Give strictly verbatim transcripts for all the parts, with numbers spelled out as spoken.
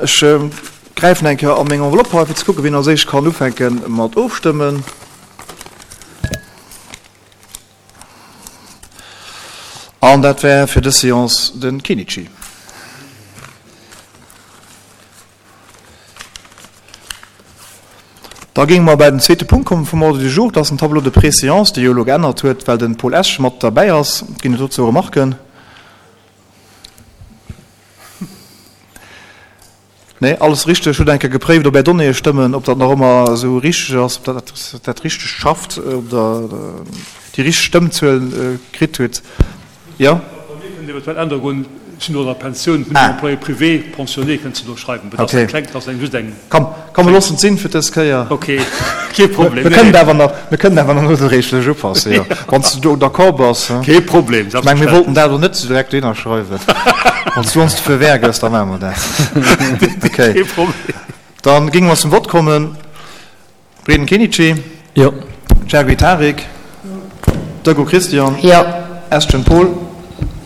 Ech gräifen eng Kéier a meng Enveloppe hei, fir ze kucken, wien als éischt kann ufänke mat ofstëmmen. An dat wär fir dës Seance de Kenichi. Da géinge mer bei den zweete Punkt kommen vum Ordre du jour. Dat ass den Tableau de préséance, dee jo elo geännert huet, well de Paul Esch mat derbäi ass. Ginn et dozou Remarken? Nee, alles richteg. Hutt eng Kéier gepréift, ob Är Donnéeë stëmmen, ob dat nach ëmmer esou richteg ass, ob dat dat richteg schafft, ob Der déi richteg Stëmmzuel kritt hutt. Jo? Bei mir kënnt eventuell Ännerungen, ech sinn elo an der Pensioun, hunn en Employé privé pensionné, kënnt se do schreiwen. Dat ass eng kleng, dat ass eng just eng. Komm, komm, mir loossen et sinn fir dës Kéier. Ok, kee Problem. Mir kënnen awer nach, mir kënnen awer nach nodréiglech upassen, jo, wann s du do d'accord bass. Kee Problem, selbstverständlech. Ech mengen, mir wollten dat elo net esou direkt dohinner schreiwen. Wann s du ons de Feu vert gëss, da maache mer dat. Ok. Kee Problem. Da géinge mer zum Vott kommen. Breden Kenichi. Jo. Chergui Tarik. Döggo Christian. Jo. Eschen Paul.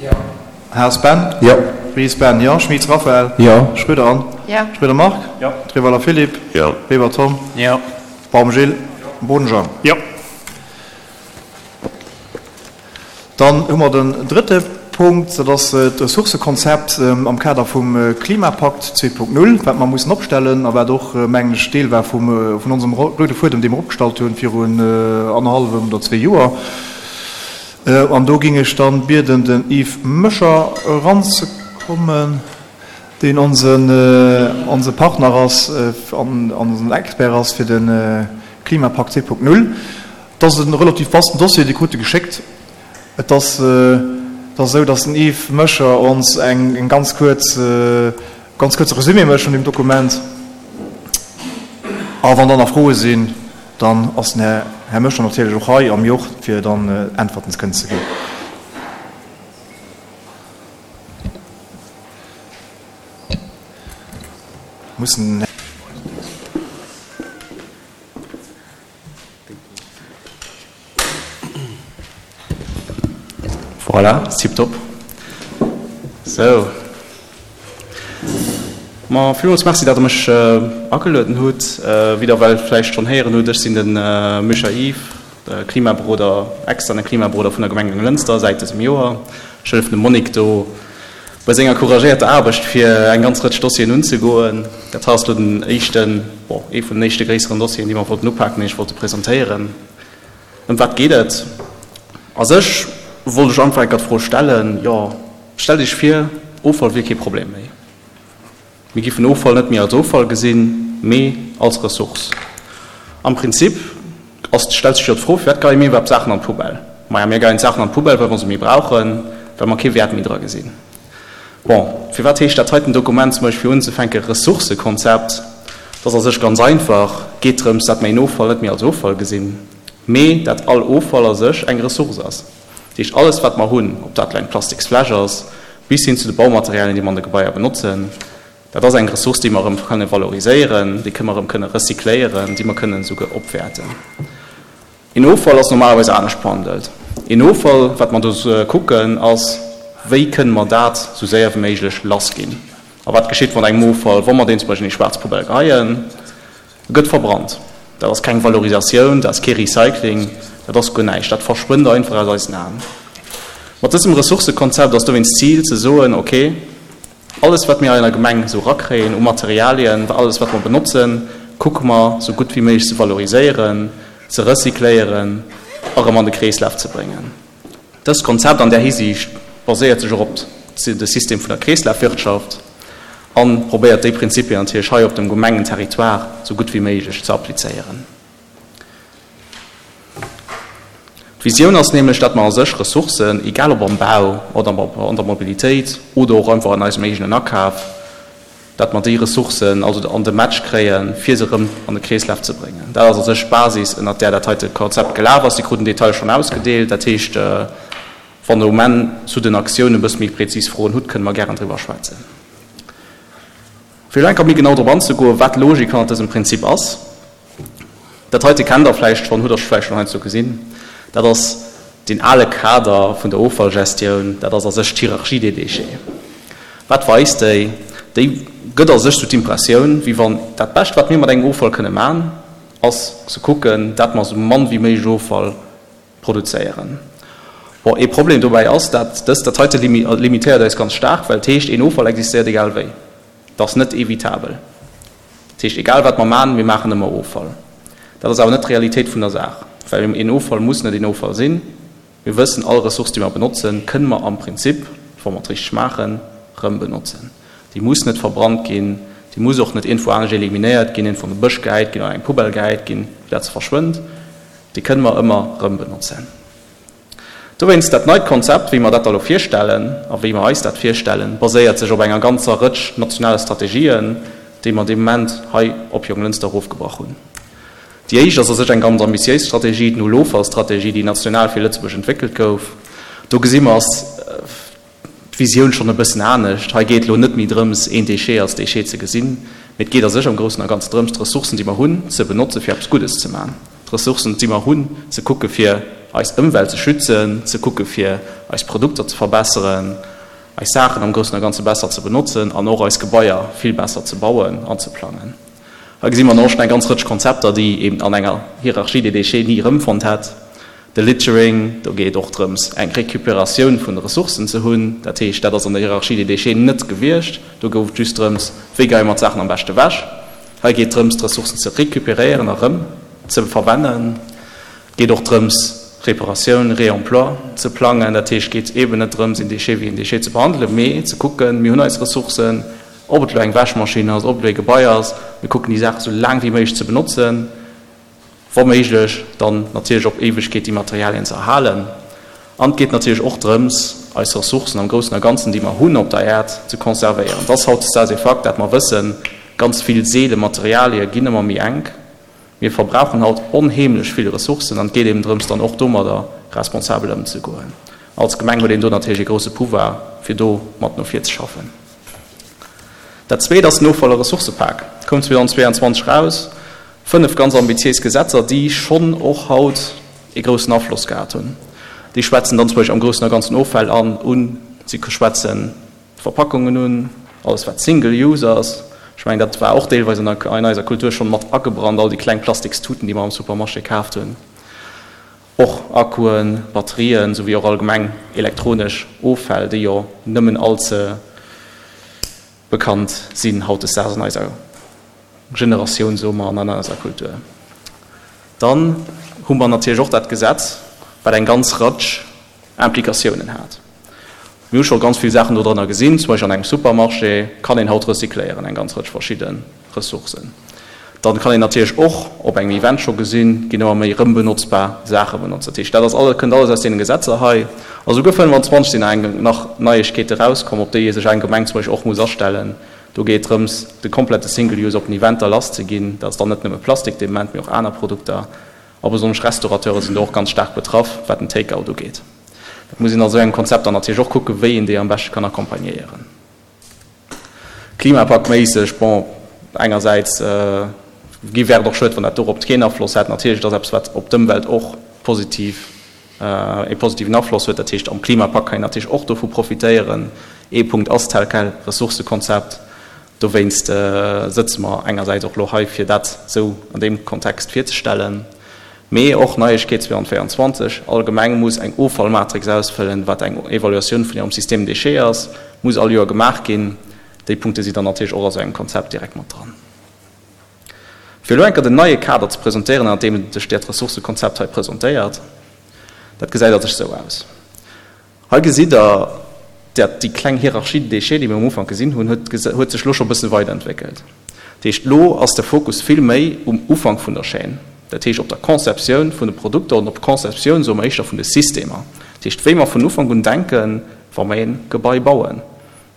Jo. Haas Ben. Jo. Ries Ben, jo. Schmitz Raphaël. Jo. Schröder Anne. Jo. Schröder Marc. Jo. Treweiler Philippe. Jo. Weber Tom. Jo. Baum Gilles. Boden Jean. Jo. Dann hu mer den drëtte Punkt, dat ass d'Ressourcëkonzept am Kader vum Klimapakt zwee Punkt null, wat mer mussen opstellen a wat och, mengen ech, Deel war vum, vun onsem roude Fuedem, dee mer opgestallt hunn virun annerhallwem oder zwee Joer. An do géing ech dann bieden, den Yves Möscher eranzekommen, deen onsen, onse Partner ass an onsen Expert ass fir de Klimapakt zwee Punkt null. Et ass e relativ vasten Dossier, Dir krut e geschéckt. Et ass, et ass esou, dass den Yves Möscher ons eng, eng ganz kuerz, ganz kuerze Resumé mécht vun deem Dokument. A wann dann nach Froe sinn, dann ass den Här, Här Möscher natierlech och hei am Joch, fir dann Äntwerten ze kënnen ze ginn. Mussen den Här. Voilà, tiptop. Sou. Ma villmools Merci, dat Der mech agelueden hutt. Wéi Der well vläicht schonn héieren hutt, ech sinn de Micha Yves, Klimaberoder, externe Klimaberoder vun der Gemeng Jonglënster säit dësem Joer. Ech hëllefen dem Monique do bei senger couragéierter Aarbecht, fir eng ganz Rëtsch Dossieren unzegoen. Dat hei ass elo den éischten, bon, ee vun den éischte gréisseren Dossieren, déi mer wollten upaken, déi ech wollte presentéieren. Ëm wat geet et? A sech wollt ech einfach enker d'Fro stellen, jo, stellt Iech vir, Offall wier kee Problem méi. Mir giffen Offall net méi als Offall gesinn, mee als Ressource. Am Prinzip ass, stellt sech jo d'Fro, firwat geie mir iwwerhaapt Saachen an d'Poubelle? Maja, mir geien d'Saachen an d'Poubelle, well mer se méi brauchen, well mer kee Wäert méi dra gesinn. Bon, firwat heescht dat heiten Dokument zum Beispill fir unzefänke Ressourcëkonzept? Dat ass a sech ganz einfach, geet drëms, dat mer een Offall net méi als Offall gesinn, mee dat all Offall a sech eng Ressource ass. Dat heescht, alles wat mer hunn, ob dat elo eng Plastiksfläsch ass, bis hin zu de Baumaterialien, déi mer an de Gebaier benotzen, dat ass eng Ressource, déi mer erëm kënne valoriséieren, déi mer erëm kënne recycléieren, déi mer kënnen esouguer opwäerten. Een Offall ass normalerweis anescht behandelt. Een Offall, wat mer do kucken, ass, wéi kënne mer dat esou séier wéi méiglech lassginn? A wat geschitt mat engem Offall, wa mer deen zum Beispill an déi schwaarz Poubelle geheien? E gëtt verbrannt. Dat ass keng Valorisatioun, dat ass kee Recycling, dat ass guer näischt. Dat verschwënnt einfach aus eisen Aen. Mat dësem Ressourcëkonzept ass dowéinst d'Zil ze soen, ok, alles wat mir hei an der Gemeng esou erakréien u Materialien, alles wat mer benotzen, kucke mer esou gutt wéi méiglech ze valoriséieren, ze recycléieren a rëm an de Kreeslaf ze bréngen. Dëst Konzept an där Hisiicht baséiert sech och op de System vun der Kreeslafwirtschaft a probéiert déi Prinzipien natierlech hei op dem Gemengenterritoire sou gutt wéi méiglech ze applizéieren. D'Visioun ass nämlech, dat mer a sech Ressourcen, egal ob am Bau oder an der Mobilitéit oder och einfach an eisem eegenen Akaf, dat mer déi Ressourcen also an de Match kréien, fir se erëm an de Kreeslaf ze bréngen. Dat ass a sech d'Basis, ënnert där dat heite Konzept gelaf ass. Dir krut den Detail schonn ausgedeelt. Dat heescht, wann Der um Enn zu den Aktiounen e bësse méi prezis Froen hutt, kënne mer gären driwwer schwätzen. Fir elo eng Kéier méi genau drop anzegoen, wat d'Logik hannert dësem Prinzip ass, Dat heite kennt Der vläicht schonn, hutt Der vläicht schonn heiansdo gesinn. Dat ass deen ale Kader vun der Offallgestioun, dat ass a sech d'Hierarchie des déchets. Wat weist déi? Déi gëtt a sech sou d'Impressioun, wéi wann dat Bescht, wat mir mat engem Offall kënne man, ass ze kucken, dat mer sou mann wéi méiglech Offall produzéieren. Bon, ee Problem dobäi ass, dat dëst, dat heite limitéiert eis ganz staark, well et heescht, een Offall existéiert egal wéi. Et ass net evitabel. Dat heescht, egal wat mer man, mir maachen ëmmer Offall. Dat ass awer net d'Realitéit vun der Saach, well een Offall muss net een Offall sinn. Mir wëssen, all Ressource, déi mer benotzen, kënne mer am Prinzip, wa mer et richteg maachen, rëm benotzen. Déi muss net verbrannt ginn, déi muss och net iergendwou anescht eliminéiert ginn, iergendwou an de Bësch gehäit ginn oder an eng Poubelle gehäit ginn, fir dat se verschwënnt. Déi kënne mer ëmmer rëm benotzen. Dowéinst, dat neit Konzept, wéi mer dat da lo virstellen a wéi mer eis dat virstellen, baséiert sech op enger ganzer Rëtsch nationale Strategien, déi mer dee Moment hei op Jonglënster erofgebrach hunn. Déi éischt ass a sech eng ganz ambitiéis Strategie, d'Null-Offall-Strategie, déi national fir Lëtzebuerg entwéckelt gouf. Do gesi mer, ass d'Visioun schonn e bëssen anescht. Hei geet elo net méi drëms, een Déchet als Déchet ze gesinn, mee et geet a sech am Groussen a Ganzen drëms, d'Ressourcen, déi mer hunn, ze benotzen, fir eppes Guddes ze maachen. D'Ressourcen, déi mer hunn, ze kucke fir eis Ëmwelt ze schützen, ze kucke fir eis Produkter ze verbesseren, eis Saachen am Groussen a Ganze besser ze benotzen an och eis Gebaier vill besser ze bauen an ze plangen. Hei gesi mer dann och schonn eng ganz Rëtsch Konzepter, déi een an enger Hierarchie des déchets ni erëmfonnt hätt. De Littering, do geet et och drëms, eng Récupératioun vun de Ressourcen ze hunn. Dat heescht, dat ass an der Hierarchie des déchets net gewiescht. Do gouf et just drëms, wéi geie mer d'Saachen am beschte ewech. Hei geet et drëms, d'Ressourcen ze récupéréieren a rëm ze verwennen. Et geet och drëms, Reparatioun, Réemploi ze plangen. Dat heescht, et geet eeben net drëms, een Déchet wéi een Déchet ze behandelen, mee ze kucken, mir hunn eis Ressourcen, ob et elo eng Wäschmaschinn ass, ob et elo ee Gebai ass, mir kucken déi Saach esou laang wéi méiglech ze benotzen, wa méiglech dann natierlech op Éiwegkeet déi Materialien ze erhalen. An et geet natierlech och drëms, eis Ressourcen am Groussen a Ganzen, déi mer hunn op der Äerd, ze conservéieren. Et ass hautdesdaags ee Fakt, dat mer wëssen, ganz vill seele Materialie ginn ëmmer méi enk. Mir verbrauchen haut onheemlech vill Ressourcen an et geet eben drëms, dann och domadder responsabel ëmzegoen. Als Gemeng huet een do natierlech ee grousse Pouvoir, fir do mat no vir ze schaffen. Dat Zweet ass den Offall a Ressourcëpak. Koum zweedausendzweeanzwanzeg eraus. Fënnef ganz ambitiéis Gesetzer, déi schonn och haut ee groussen Afloss gehat hunn. Déi schwätzen dann zum Beispill am Groussen a Ganzen Offäll an un, si schwätzen d'Verpackungen un, alles wat Single Use ass. Ech mengen, dat war och deelweis an eiser Kultur schonn mat agebrannt, all déi kleng Plastikstuten, déi mer am Supermarché kaaft hunn. Och Akkuen, Batterien, souwéi och allgemeng elektronesch Offäll, déi jo nëmmen all ze bekannt sinn hautdesdaags an eiser Generatioun, soe mer, an an eiser Kultur. Dann hu mer natierlech och dat Gesetz, wat eng ganz Rëtsch Implikatiounen hat. Mir hu scho ganz vill Saachen dodrënner gesinn, zum Beispill an engem Supermarché kann een haut recycléieren, eng ganz Rëtsch verschidde Ressourcen. Dann kann een natierlech och op engem Event scho gesinn, ginn ëmmer méi rëmbenotzbar Saache benotzt. Dat heescht, dat ass alles, kënnt alles aus deene Gesetzer hei. A souguer fënnfanzwanzeg sinn nach eng nach Neiegkeete rauskomm, op déi ee sech eng Gemeng zum Beispill och muss astellen. Do geet et drëms, de komplette Single Use op den Eventer lasszeginn. Dat ass dann net nëmme Plastik dee Moment, mee och aner Produkter. A besonnesch Restaurateure sinn do och ganz staark betraff, wat den Take-out ugeet. Dat muss een a sou engem Konzept dann natierlech och kucken, wéi een déi am beschte kann accompagnéieren. Klimapaktméisseg, bon, engersäits gi wär et och schued, wann dat dorop keen Afloss hätt. Natierlech, et ass eppes, wat op d'Ëmwelt och positiv, ee positiven Afloss huet. Dat heescht, am Klimapakt kann een natierlech och dovu profitéieren. Ee Punkt ass tel quel Ressourcekonzept. Dowéinst sëtze mer engersäits och elo hei, fir dat esou an deem Kontext virzestellen. Mee och Neiegkeet zweedausendvéieranzwanzeg, All Gemeng muss eng Offallmatrix ausfëllen, wat eng Evaluatioun vun hirem Système déchets ass, muss all Joer gemaach ginn. Déi Punkte si dann natierlech och a sou engem Konzept direkt mat dran. Fir elo eng Kéier den neie Kader ze presentéieren, ënner deem sech dat Ressourcekonzept hei presentéiert, dat gesäit a sech sou aus. Hei gesitt Der, dat déi kleng Hierarchie des déchets, déi mir um Ufank gesinn hunn, huet huet sech elo scho e bësse weiderentwéckelt. Dat heescht, elo ass de Fokus vill méi um Ufank vun der Chaîne, dat heescht op der Conceptioun vun de Produkter an op d'Conceptioun, soe mer éischter, vun de Systemer. Dat heescht, wéi mer vun Ufank un denken, wa mer ee Gebai bauen.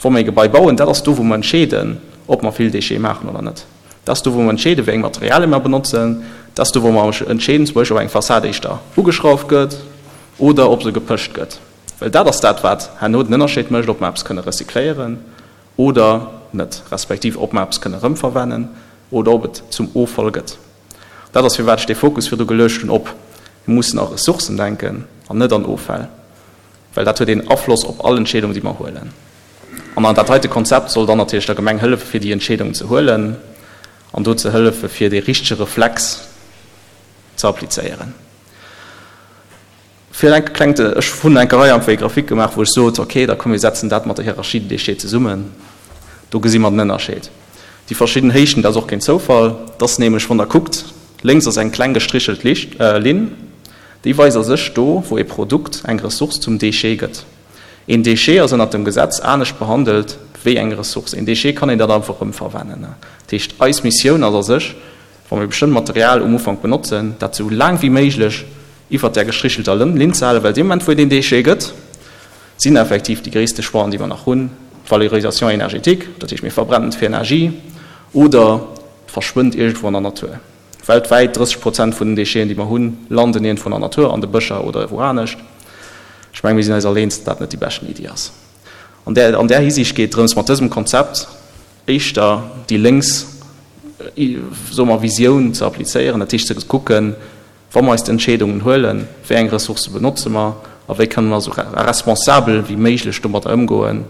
Wa mer ee Gebai bauen, dat ass do, wou mer entscheeden, ob mer vill Déchets maachen oder net. Dat ass do, wou mer entscheeden, wéi eng Materialien mer benotzen. Dat ass do, wou mer entscheeden, zum Beispill, ob eng Fassad éischter ugeschrauft gëtt oder ob se gepëscht gëtt. Well dat ass dat, wat herno den Ënnerscheed mécht, ob mer eppes kënne recycléieren oder net, respektiv ob mer eppes kënne erëmverwennen oder ob et zum Offall gëtt. Dat ass, firwat ech dee Fokus virdu geluecht hunn op, mir mussen a Ressourcen denken an net an Offäll, well dat huet een Afloss op all Entscheedung, déi mer huelen. An dat heite Konzept soll dann natierlech der Gemeng hëllefe fir déi Entscheedung ze huelen an do ze hëllefe fir dee richtege Reflex ze applizéieren. Fir eng kleng, ech hunn eng Rei einfach Grafik gemaach, wou ech sot, okay, da komm mir setzen dat mat der Hierarchie des déchets zesummen. Do gesi mer den Ënnerscheed. Déi verschidden Héichten, dat ass och keen Zoufall, dat ass nämlech, wann Der kuckt, lénks ass eng kleng gestrichelt Linn, déi weist a sech do, wou e Produkt, eng Ressource zum Déchet gëtt. Een Déchet ass ënnert dem Gesetz anescht behandelt wéi eng Ressource. Een Déchet kann een dann einfach erëm verwennen. Dat heescht, eis Missioun ass a sech, wa mir bestëmmt Material um Ufank benotzen, dat sou laang wéi méiglech iwwert där gestrichelter Linn ze halen, well dee Moment, wou et een Déchet gëtt, sinn effektiv déi gréisste Choixen, déi mer nach hunn, d'Valorisation énergétique, dat heescht mir verbrennen et fir Energie, oder et verschwënnt iergendwou an der Natur. Weltwäit drësseg Prozent vun den Décheten, déi mer hunn, landen iergendwou an der Natur, an de Bëscher oder wou anescht. Ech menge mir sinn eis all eens, datt dat net déi beschten Iddi ass. An där, an där Hisiicht geet et drëms, mat dësem Konzept éischter déi lénks, soe mer, Visioun ze applizéieren, dat heescht ze kucken, wa mer eis d'Entscheedungen huelen, wéi eng Ressourcë benotze mer a wéi kënne mer esou responsabel wéi méiglech domadder ëmgoen,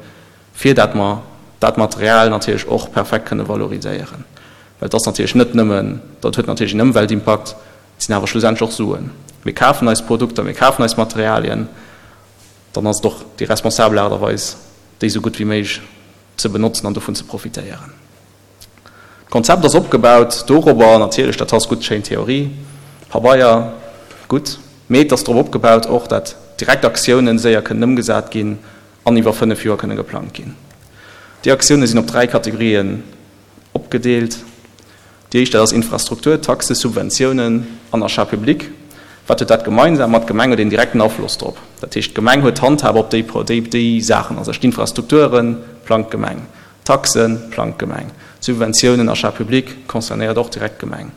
fir dat mer dat Material natierlech och perfekt kënne valoriséieren. Well et ass natierlech net nëmmen, dat huet natierlech en Ëmweltimpakt, et sinn awer schlussendlech och Suen. Mir kafen eis Produkter, mir kafen eis Materialien, dann ass et och déi responsabel Aart a Weis, déi esou gutt wéi méiglech ze benotzen an dovun ze profitéieren. D'Konzept ass opgebaut dorobber, natierlech, dat ass gutt, schéin Theorie, Pabeier, gutt, mee et ass drop opgebaut och, dat direkt Aktiounen séier kënnen ëmgesat ginn an iwwer fënnef Joer kënne geplangt ginn. Déi Aktioune sinn op dräi Kategorien opgedeelt. Déi éischt, dat ass Infrastruktur, Taxen, Subventiounen an Achat public. Wat huet dat gemeinsam? Ma d'Gemeng huet een direkten Afloss drop. Dat heescht, d'Gemeng huet d'Handhab op déi, déi, déi Saachen. Also d'Infrastrukture plangt d'Gemeng, d'Taxe plangt d'Gemeng, d'Subventiounen, Achat public concernéiert och direkt d'Gemeng.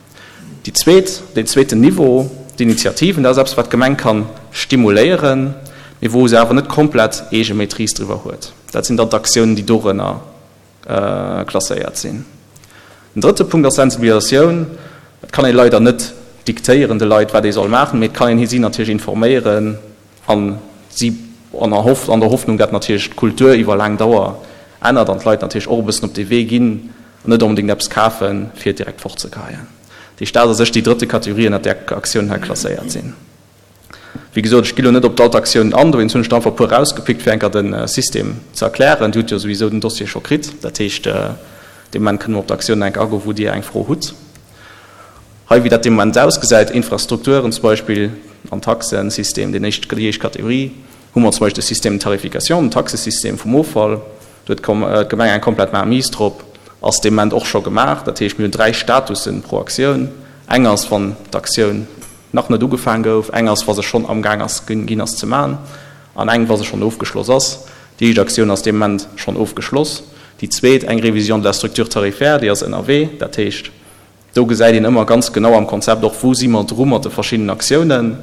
Déi zweet, deen zweeten Niveau, d'Initiativen, dat ass eppes, wat d'Gemeng ka stimuléieren, mee wou se awer net komplett eege Maîtrise driwwer huet. Dat sinn dann d'Aktiounen, déi dorënner klasséiert sinn. Den drëtte Punkt ass Sensibilisatioun. Et kann ee leider net diktéieren de Leit, wat ee soll maachen, mee et kann een si natierlech informéieren a si an der Hoffnung, dat natierlech d'Kultur iwwer laang Dauer ännert an d'Leit natierlech och e bëssen op dee Wee ginn an net onbedéngt eppes kafen, fir et direkt fortzegeheien. Dat heescht, dat ass a sech déi drëtte Kategorie, ënnert där Aktiounen hei klasséiert sinn. Wéi gesot, ech gi lo net op d'Altaktiounen an, dowéinst hunn ech der einfach e puer erausgepickt, fir enker de System ze erklären. Dir hutt jo souwisou den Dossier scho kritt, dat heescht, dee Moment kënne mer op d'Aktiounen enk agoen, wou Dir eng Fro hutt. Hei, wéi dat dee Moment ausgesäit, Infrastrukturen zum Beispill an Taxensystem, deen éischt, déi éischt Kategorie, hu mer zum Beispill de Système de tarification, den Taxesystem vum Offall. Do huet d'Gemeng eng komplett Mainmise drop, ass dee Moment och scho gemaach. Dat heescht, mir hunn dräi Statussen pro Aktioun. Eng ass, wann d'Aktioun nach net ugefaang gouf, eng ass, wa se schonn amgaang ass ginn ass ze man, an eng, wa se schonn ofgeschloss ass. Déi éischt Aktioun ass dee Moment schonn ofgeschloss. Déi zweet, eng Révision de la structure tarifaire, déi ass ënnerwee. Dat heescht, do gesäit een ëmmer ganz genau am Konzept och, wou si mer dru mat de verschiddenen Aktiounen.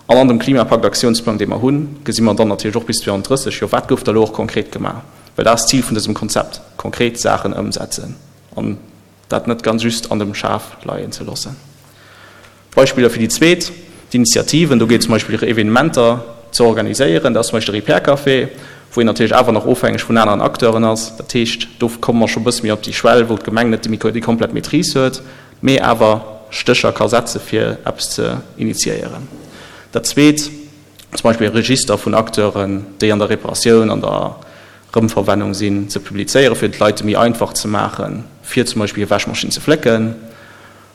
An an dem Klimapakt-Aktiounsplang, dee mer hunn, gesi mer dann natierlech och bis zweitausenddrësseg, jo, wat gouf da elo och konkret gemaach? Well dat ass d'Zil vun dësem Konzept, konkret Saachen ëmsetzen an dat net ganz just an dem Schaf leien ze loossen. Beispiller fir déi zweet, d'Initiativen, do geet et zum Beispill Evenementer ze organiséieren, dat ass zum Beispill de Repair Café, wou een natierlech awer nach ofhängeg vun aneren Acteuren ass. Dat heescht, do komme mer scho e bësse méi op déi Schwell, wou d'Gemeng net déi komplett Maîtrise huet, mee awer Stécher ka setze fir eppes ze initiéieren. Dat zweet, zum Beispill e Register vun Acteuren, déi an der Reparatioun, an der Erëmverwennung sinn, ze publizéieren, fir et de Leit méi einfach ze maachen, fir zum Beispill hir Wäschmaschinn ze flécken.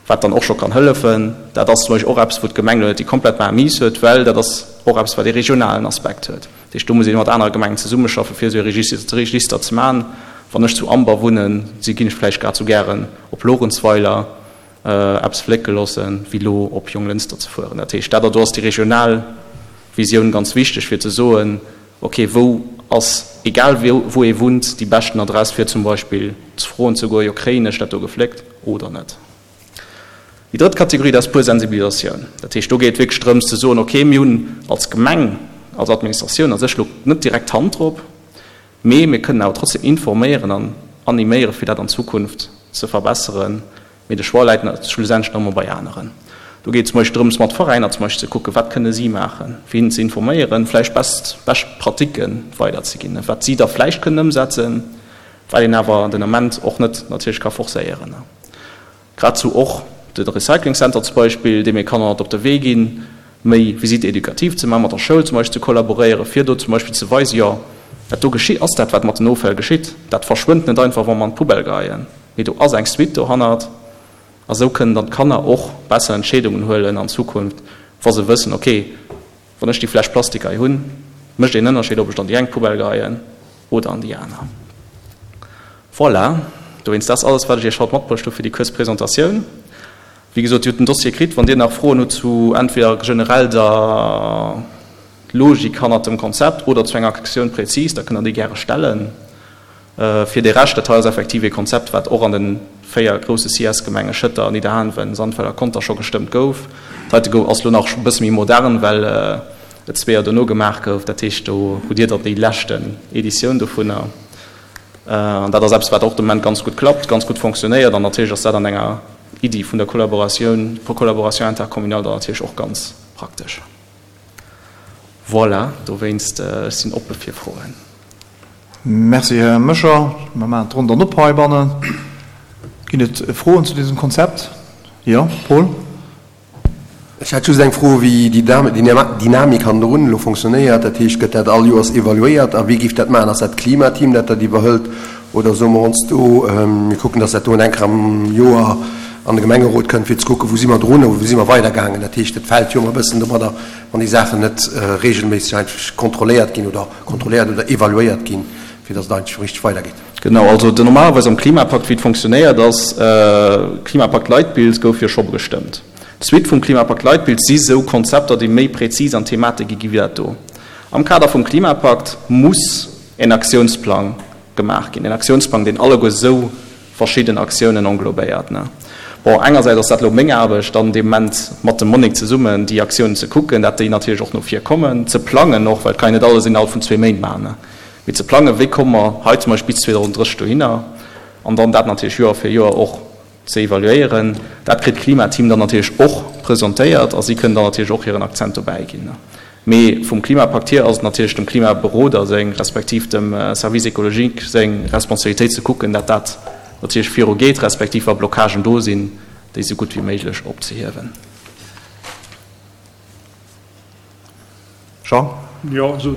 Wat dann och scho kann hëllefen. Dat ass zum Beispill och eppes, wou d'Gemeng elo net déi komplett Mainmise huet, well dat ass och eppes, wat ee regionalen Aspekt huet. Dat heescht, do muss ee mat anere Gemengen zesummeschaffen, fir esou e Register ze maachen. Wann ech zu Amber wunnen, si ginn ech vläicht grad esou gären op Lorentzweiler eppes flécke loossen, wéi elo op Jonglënster ze fueren. Dat heescht, dat do ass déi regional Visioun ganz wichteg, fir ze soen, okay, wou ass, egal wou ee wunnt, déi beschten Adress, fir zum Beispill ze froen ze goen, jo, kréien ech dat do gefléckt oder net? Déi drëtt Kategorie, dat ass pur Sensibilisatioun. Dat heescht, do geet et wierklech drëms ze soen, okay, mir hunn als Gemeng, als Administratioun a sech elo net direkt d'Hand drop, mee mir kënnen awer trotzdem informéieren an animéieren, fir dat an Zukunft ze verbesseren. Mee de Choix läit schlussendlech nach ëmmer bei aneren. Do geet et zum Beispill drëms, mat Veräiner zum Beispill ze kucken, wat kënne si maachen, fir hinnen ze informéieren, vläicht best, bescht Pratiquen weiderzeginn, wat si da vläicht kënnen ëmsetzen. Wat een awer den Ament och net natierlech ka forcéieren. Grad sou och de Recycling Center zum Beispill, deem ee Kanner mat op de Wee ginn, méi Visite éducative ze maachen, mat der Schoul zum Beispill ze kollaboréieren, fir do zum Beispill ze weisen, jo, dat do geschitt, ass dat, wat mat den Offäll geschitt. Dat verschwënnt net einfach, wa mer an d'Poubelle geheien, mee do ass eng Suite dohannert. A sou kënnen dann d'Kanner och besser Entscheedungen huelen an Zukunft, wa se wëssen, okay, wann ech déi Fläsch Plastik hei hunn, mécht een Ënnerscheed, ob ech et an déi eng Poubelle geheien oder an déi aner. Voilà, dowéinst, dat ass alles, wat ech Iech haut matbruecht hu fir déi kuerz Presentatioun. Wéi gesot, Dir hutt den Dossier kritt. Wann Dir nach Froen hutt zu entweder generell der Logik hannert dem Konzept oder zu enger Aktioun prezis, da kënnt Der déi gäre stellen. Fir de Rescht, dat hei ass effektiv ee Konzept, wat och an de véier grousse CIS-Gemenge Schëtter, Nidderaanwen, Sandweiler a Conter scho gestëmmt gouf. Dat heite gouf ass elo nach e bësse méi modern, well et zwee Joer dono gemaach gouf. Dat heescht, do hutt Dir dann déi leschten Editioun dovunner. An dat ass eppes, wat och de Moment ganz gutt klappt, ganz gutt fonctionnéiert. An natierlech ass dat an enger Iddi vun der Kollaboratioun, Collaboration intercommunale dann natierlech och ganz praktesch. Voilà, dowéinst, ech sinn oppe fir Froen. Merci, Här Moscher. Mer maachen d'Ronn dann op heibannen. Ginn et Froen zu dësem Konzept? Jo, Paul. Ech hätt just eng Fro, wéi déi Dynamik hannendrun elo fonctionnéiert. Dat heescht, gëtt dat all Joers evaluéiert a wie géif dat maachen? Ass dat d'Klimateam, dat dat iwwerhëlt oder soe mer ons do, mir kucken, datt dat do eng Kéier am Joer an de Gemengerot kënnt, fir ze kucken, wou si mer drun oder wou si mer weidergaangen? Dat heescht, et fält jo ëmmer e bëssen domadder, wann déi Saachen net regelméisseg eigentlech kontrolléiert ginn oder kontrolléiert oder evaluéiert ginn, fir datt et eigentlech richteg weidergeet. Genau, also de normalerweis am Klimapakt, wéi et fonctionnéiert ass, Klimapakt-Leitbild gouf jo scho gestëmmt. D'Suite vum Klimapakt-Leitbild si sou Konzepter, déi méi präzis an Thematik gi wéi dat do. Am Kader vum Klimapakt muss en Aktiounsplang gemaach ginn, en Aktiounsplang, deen alleguer sou verschidden Aktiounen englobéiert. Bon, engersäits ass dat elo meng Aarbecht, dann dee Moment mat dem Monique zesummen déi Aktiounen ze kucken, dat déi natierlech och no vir kommen, ze plangen och, well et kann een net alles innerhalb vun zwee Méint maachen, mee ze plangen, wéi komme mer hei zum Beispill bis zweedausenddrësseg dohinner an dann dat natierlech Joer fir Joer och ze evaluéieren. Dat kritt d'Klimateam dann natierlech och presentéiert a si kënnen dann natierlech och hiren Akzent dobäi ginn. Mee vum Klimapakt hier ass et natierlech dem Klimaberoder seng, respektiv dem Service écologique seng Responsabilitéit ze kucken, dat dat natierlech viru geet, respektiv wa Blockagen do sinn, déi esou gutt wéi méiglech opzehiewen. Jean? Jo, also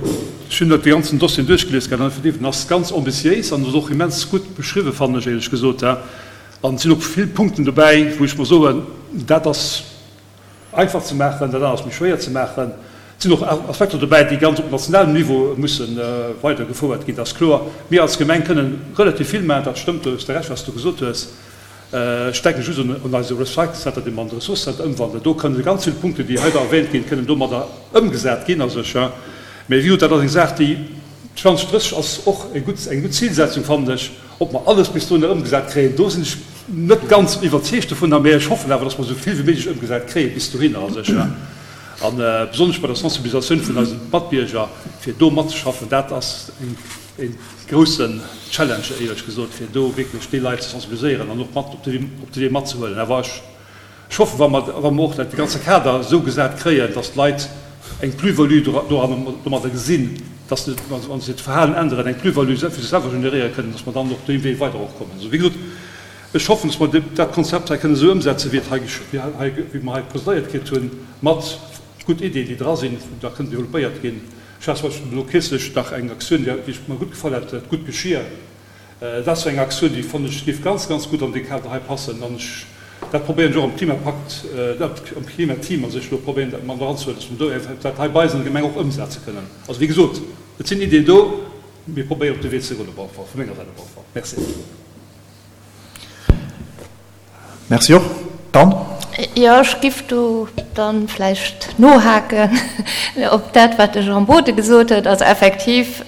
ech hunn dat dee ganzen Dossier duerchgelies gehat an effektiv, en ass ganz ambitiéis an ass och immens gutt beschriwwen, fannen ech éierlech gesot. An et sinn och vill Punkten dobäi, wou ech mer soen, dat ass einfach ze maachen, dat anert ass méi schwéier ze maachen. Et sinn och Aspekter dobäi, déi ganz op nationalem Niveau musse weidergefouert ginn, dat ass kloer. Mir als Gemeng kënnen relativ vill maachen, dat stëmmt, do hues de Recht, wat s du gesot hues. Ech denken just un eise Recycle Center, dee mer an de Ressourcecenter ëmwandelen. Do kënnen ganz vill Punkten, déi hei da erwähnt ginn, kënnen domadder ëmgesat ginn a sech. Mä wéi gesot, dat ass eng Saach, déi zwanzeg drësseg ass och eng gutt, eng gutt Zilsetzung, fannen ech. Ob mer alles bis dohinner ëmgesat kréien, do sinn ech net ganz iwwerzeegt dovunner, mä ech hoffen awer, dass mer esou vill wéi méiglech ëmgesat kréie bis dohinner a sech. A besonnesch bei der Sensibilisatioun vun eise Matbierger, fir do matzeschaffen, dat ass eng, E groussen Challenge, éierlech gesot, fir do wierklech déi Leit ze sensibiliséieren an och mat op de Wee matzehuelen. Awer ech hoffen, wa mer, wa mer och dat ganze Kader esou gesat kréien, dass d'Leit eng Plus-value domadder gesinn, dass se, wa se hiert Verhalen änneren, eng Plus-value fir sech selwer generéiere kënnen, dass mer dann och dee Wee weider och kommen. Also, wéi gesot, ech hoffen, dass mer dat Konzept hei kënnen esou ëmsetzen, wéi et hei, wéi mer hei presentéiert kritt hunn, mat gutt Iddien, déi dra sinn, déi da kënnen developpéiert ginn. Ech hat zum Beispill elo kierzlech nach eng Aktioun, déi mer gutt gefall hat, d'Gutt Geschir. Dat ass esou eng Aktioun, déi fannen ech géif ganz, ganz gutt an dee Kader hei passen. An ech, dat probéieren ech och am Klimapakt, am Klimateam a sech elo probéieren dat mat eranzehuelen, dass mer do eventuell dat hei bei eis an der Gemeng och ëmsetze kënnen. Also wéi gesot, et sinn Iddien do, mir probéieren op de Wee ze goen op alle Fall, vu menger Säit op alle Fall. Merci. Merci och. Dann. Jo, ech giff do dann vläicht nohaken op dat, wat de Jean Bothe gesot huet. Also effektiv,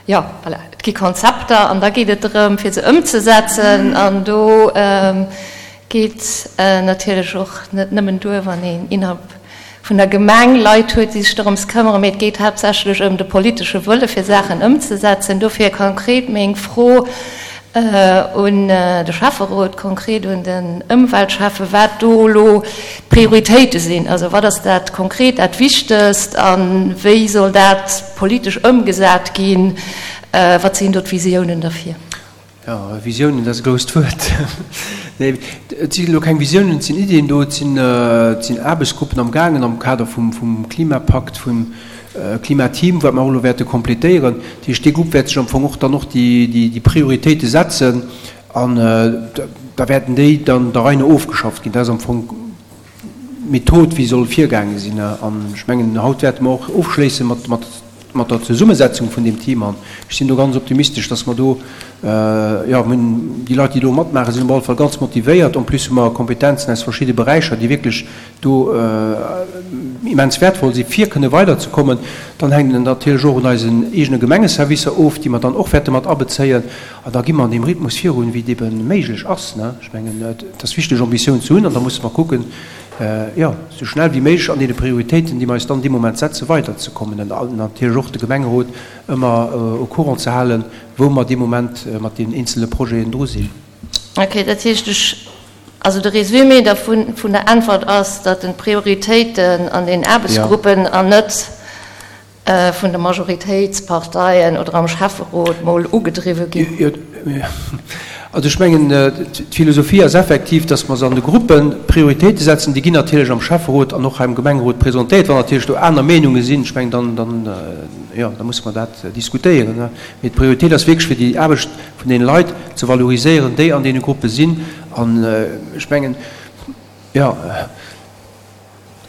jo, voilà, et gi Konzepter an da geet et drëm, fir se ëmzesetzen. An do geet natierlech och net nëmmen duer, wann een innerhalb vun der Gemeng Leit huet, déi sech dorëms këmmeren, mee et geet haaptsächlech ëm de politesche Wëlle fir Saachen ëmzesetzen. Dofir konkret meng Fro un de Schäfferot, konkret un den Ëmweltschäffe, wat do elo d'Prioritéite sinn. Also wat ass dat konkret dat Wichtegst a wéi soll dat politesch ëmgesat ginn? Wat sinn do d'Visiounen derfir? Jo, Visiounen, dat ass e grousst Wuert. Nee, et si elo keng Visiounen, et sinn Iddien do, et sinn, et sinn Aarbechtsgruppen am gaangen am Kader vum, vum Klimapakt, vum Klimateam, wat mer och elo wäerte kompletéieren. Dat heescht, dee Grupp wäert sech am Fong och dann och déi, déi, déi Prioritéite setzen an da wäerten déi dann der Rei no ofgeschafft ginn. Dat ass am Fong d'Method, wéi soll virgaange sinn. An ech mengen, haut wäerte mer och ofschléisse mat, mat, mat der Zesummesetzung vun deem Team. An ech sinn do ganz optimistesch, dass mer do, jo, mir hunn déi Leit, déi do matmaachen, sinn op alle Fall ganz motivéiert. En plus hu mer Kompetenzen aus verschidde Beräicher, déi wierklech do immens wäertvoll sinn, fir kënne weiderzekommen. Dann hänkt et natierlech och un eisen eegene Gemengeservicer of, déi mer dann och wäerte mat abezéien. An da gi mer an deem Rhythmus virun, wéi et ebe méiglech ass. Ech mengen, et ass wichteg, Ambitioun ze hunn, an da musse mer kucken, jo, esou schnell wéi méiglech an deene Prioritéiten, déi mer eis dann dee Moment setzen, weiderzekommen an natierlech och de Gemengerot ëmmer au courant ze halen, wou mer dee Moment mat deenen eenzele Projeten dru sinn. Okay, dat heescht, ech, also de Résumé dervun, vun der Äntwert ass, datt den d'Prioritéiten an den Aarbechtsgruppen an net vun de Majoritéitsparteien oder am Schäfferot mol ugedriwwe ginn. Jo, also ech mengen, d'Philosophie ass effektiv, dass mer se an de Gruppe Prioritéite setzen. Déi ginn natierlech am Schäfferot an och hei am Gemengerot presentéiert. Wann natierlech do aner Meenunge sinn, ech mengen, dann, dann, jo, da musse mer dat diskutéieren. Mee d'Prioritéit ass wierklech, fir déi Aarbecht vun deene Leit ze valoriséieren, déi an deene Gruppe sinn. An ech mengen, jo,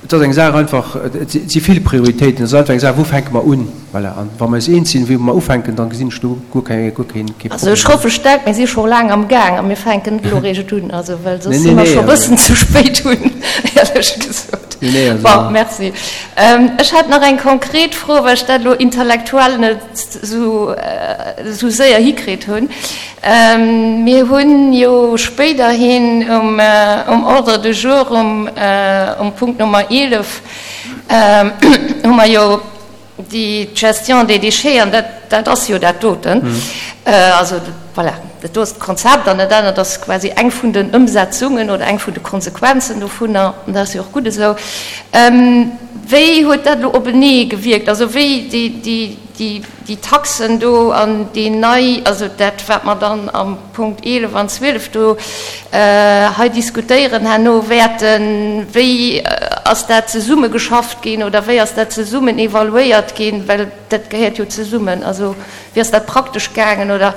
Et ass eng Saach einfach, et si vill Prioritéiten, et ass einfach eng Saach, wou fänke mer un? Voilà. An wa mer eis eens sinn, wou mer ufänken, da gesinn ech do guer keng, guer keen, kee Also ech Problem. hoffe staark, mir si scho laang am Gaang a mir fänken net elo eréischt un, also well soss Nee, si nee, mer nee, scho e also. bëssen ze spéit un, éierlech gesot. Nee, nee, also. Bon, merci. Ech hätt nach eng konkret Fro, well ech dat elo intellektuell net esou, esou séier hikritt hunn. Mir hunn jo spéiderhin um Ordre du jour um Punkt Nummer eelef hu mer jo déi d'Gestion des déchets, an dat ass jo dat doten. Also voilà, dat do ass d'Konzept an dat anert ass quasi eng vun den Ëmsetzungen oder eng vun de Konsequenzen dovunner, an dat ass jo och gutt esou. Wéi huet dat elo openee gewierkt? Also wéi déi Déi Taxen do an déi nei, also dat, wat mer dann am Punkt eelef an zwielef do hei diskutéieren herno wäerten, wéi ass dat zesummegeschafft ginn oder wéi ass dat zesummen evaluéiert ginn, well dat gehéiert jo zesummen. Also wéi ass dat praktesch gaangen oder,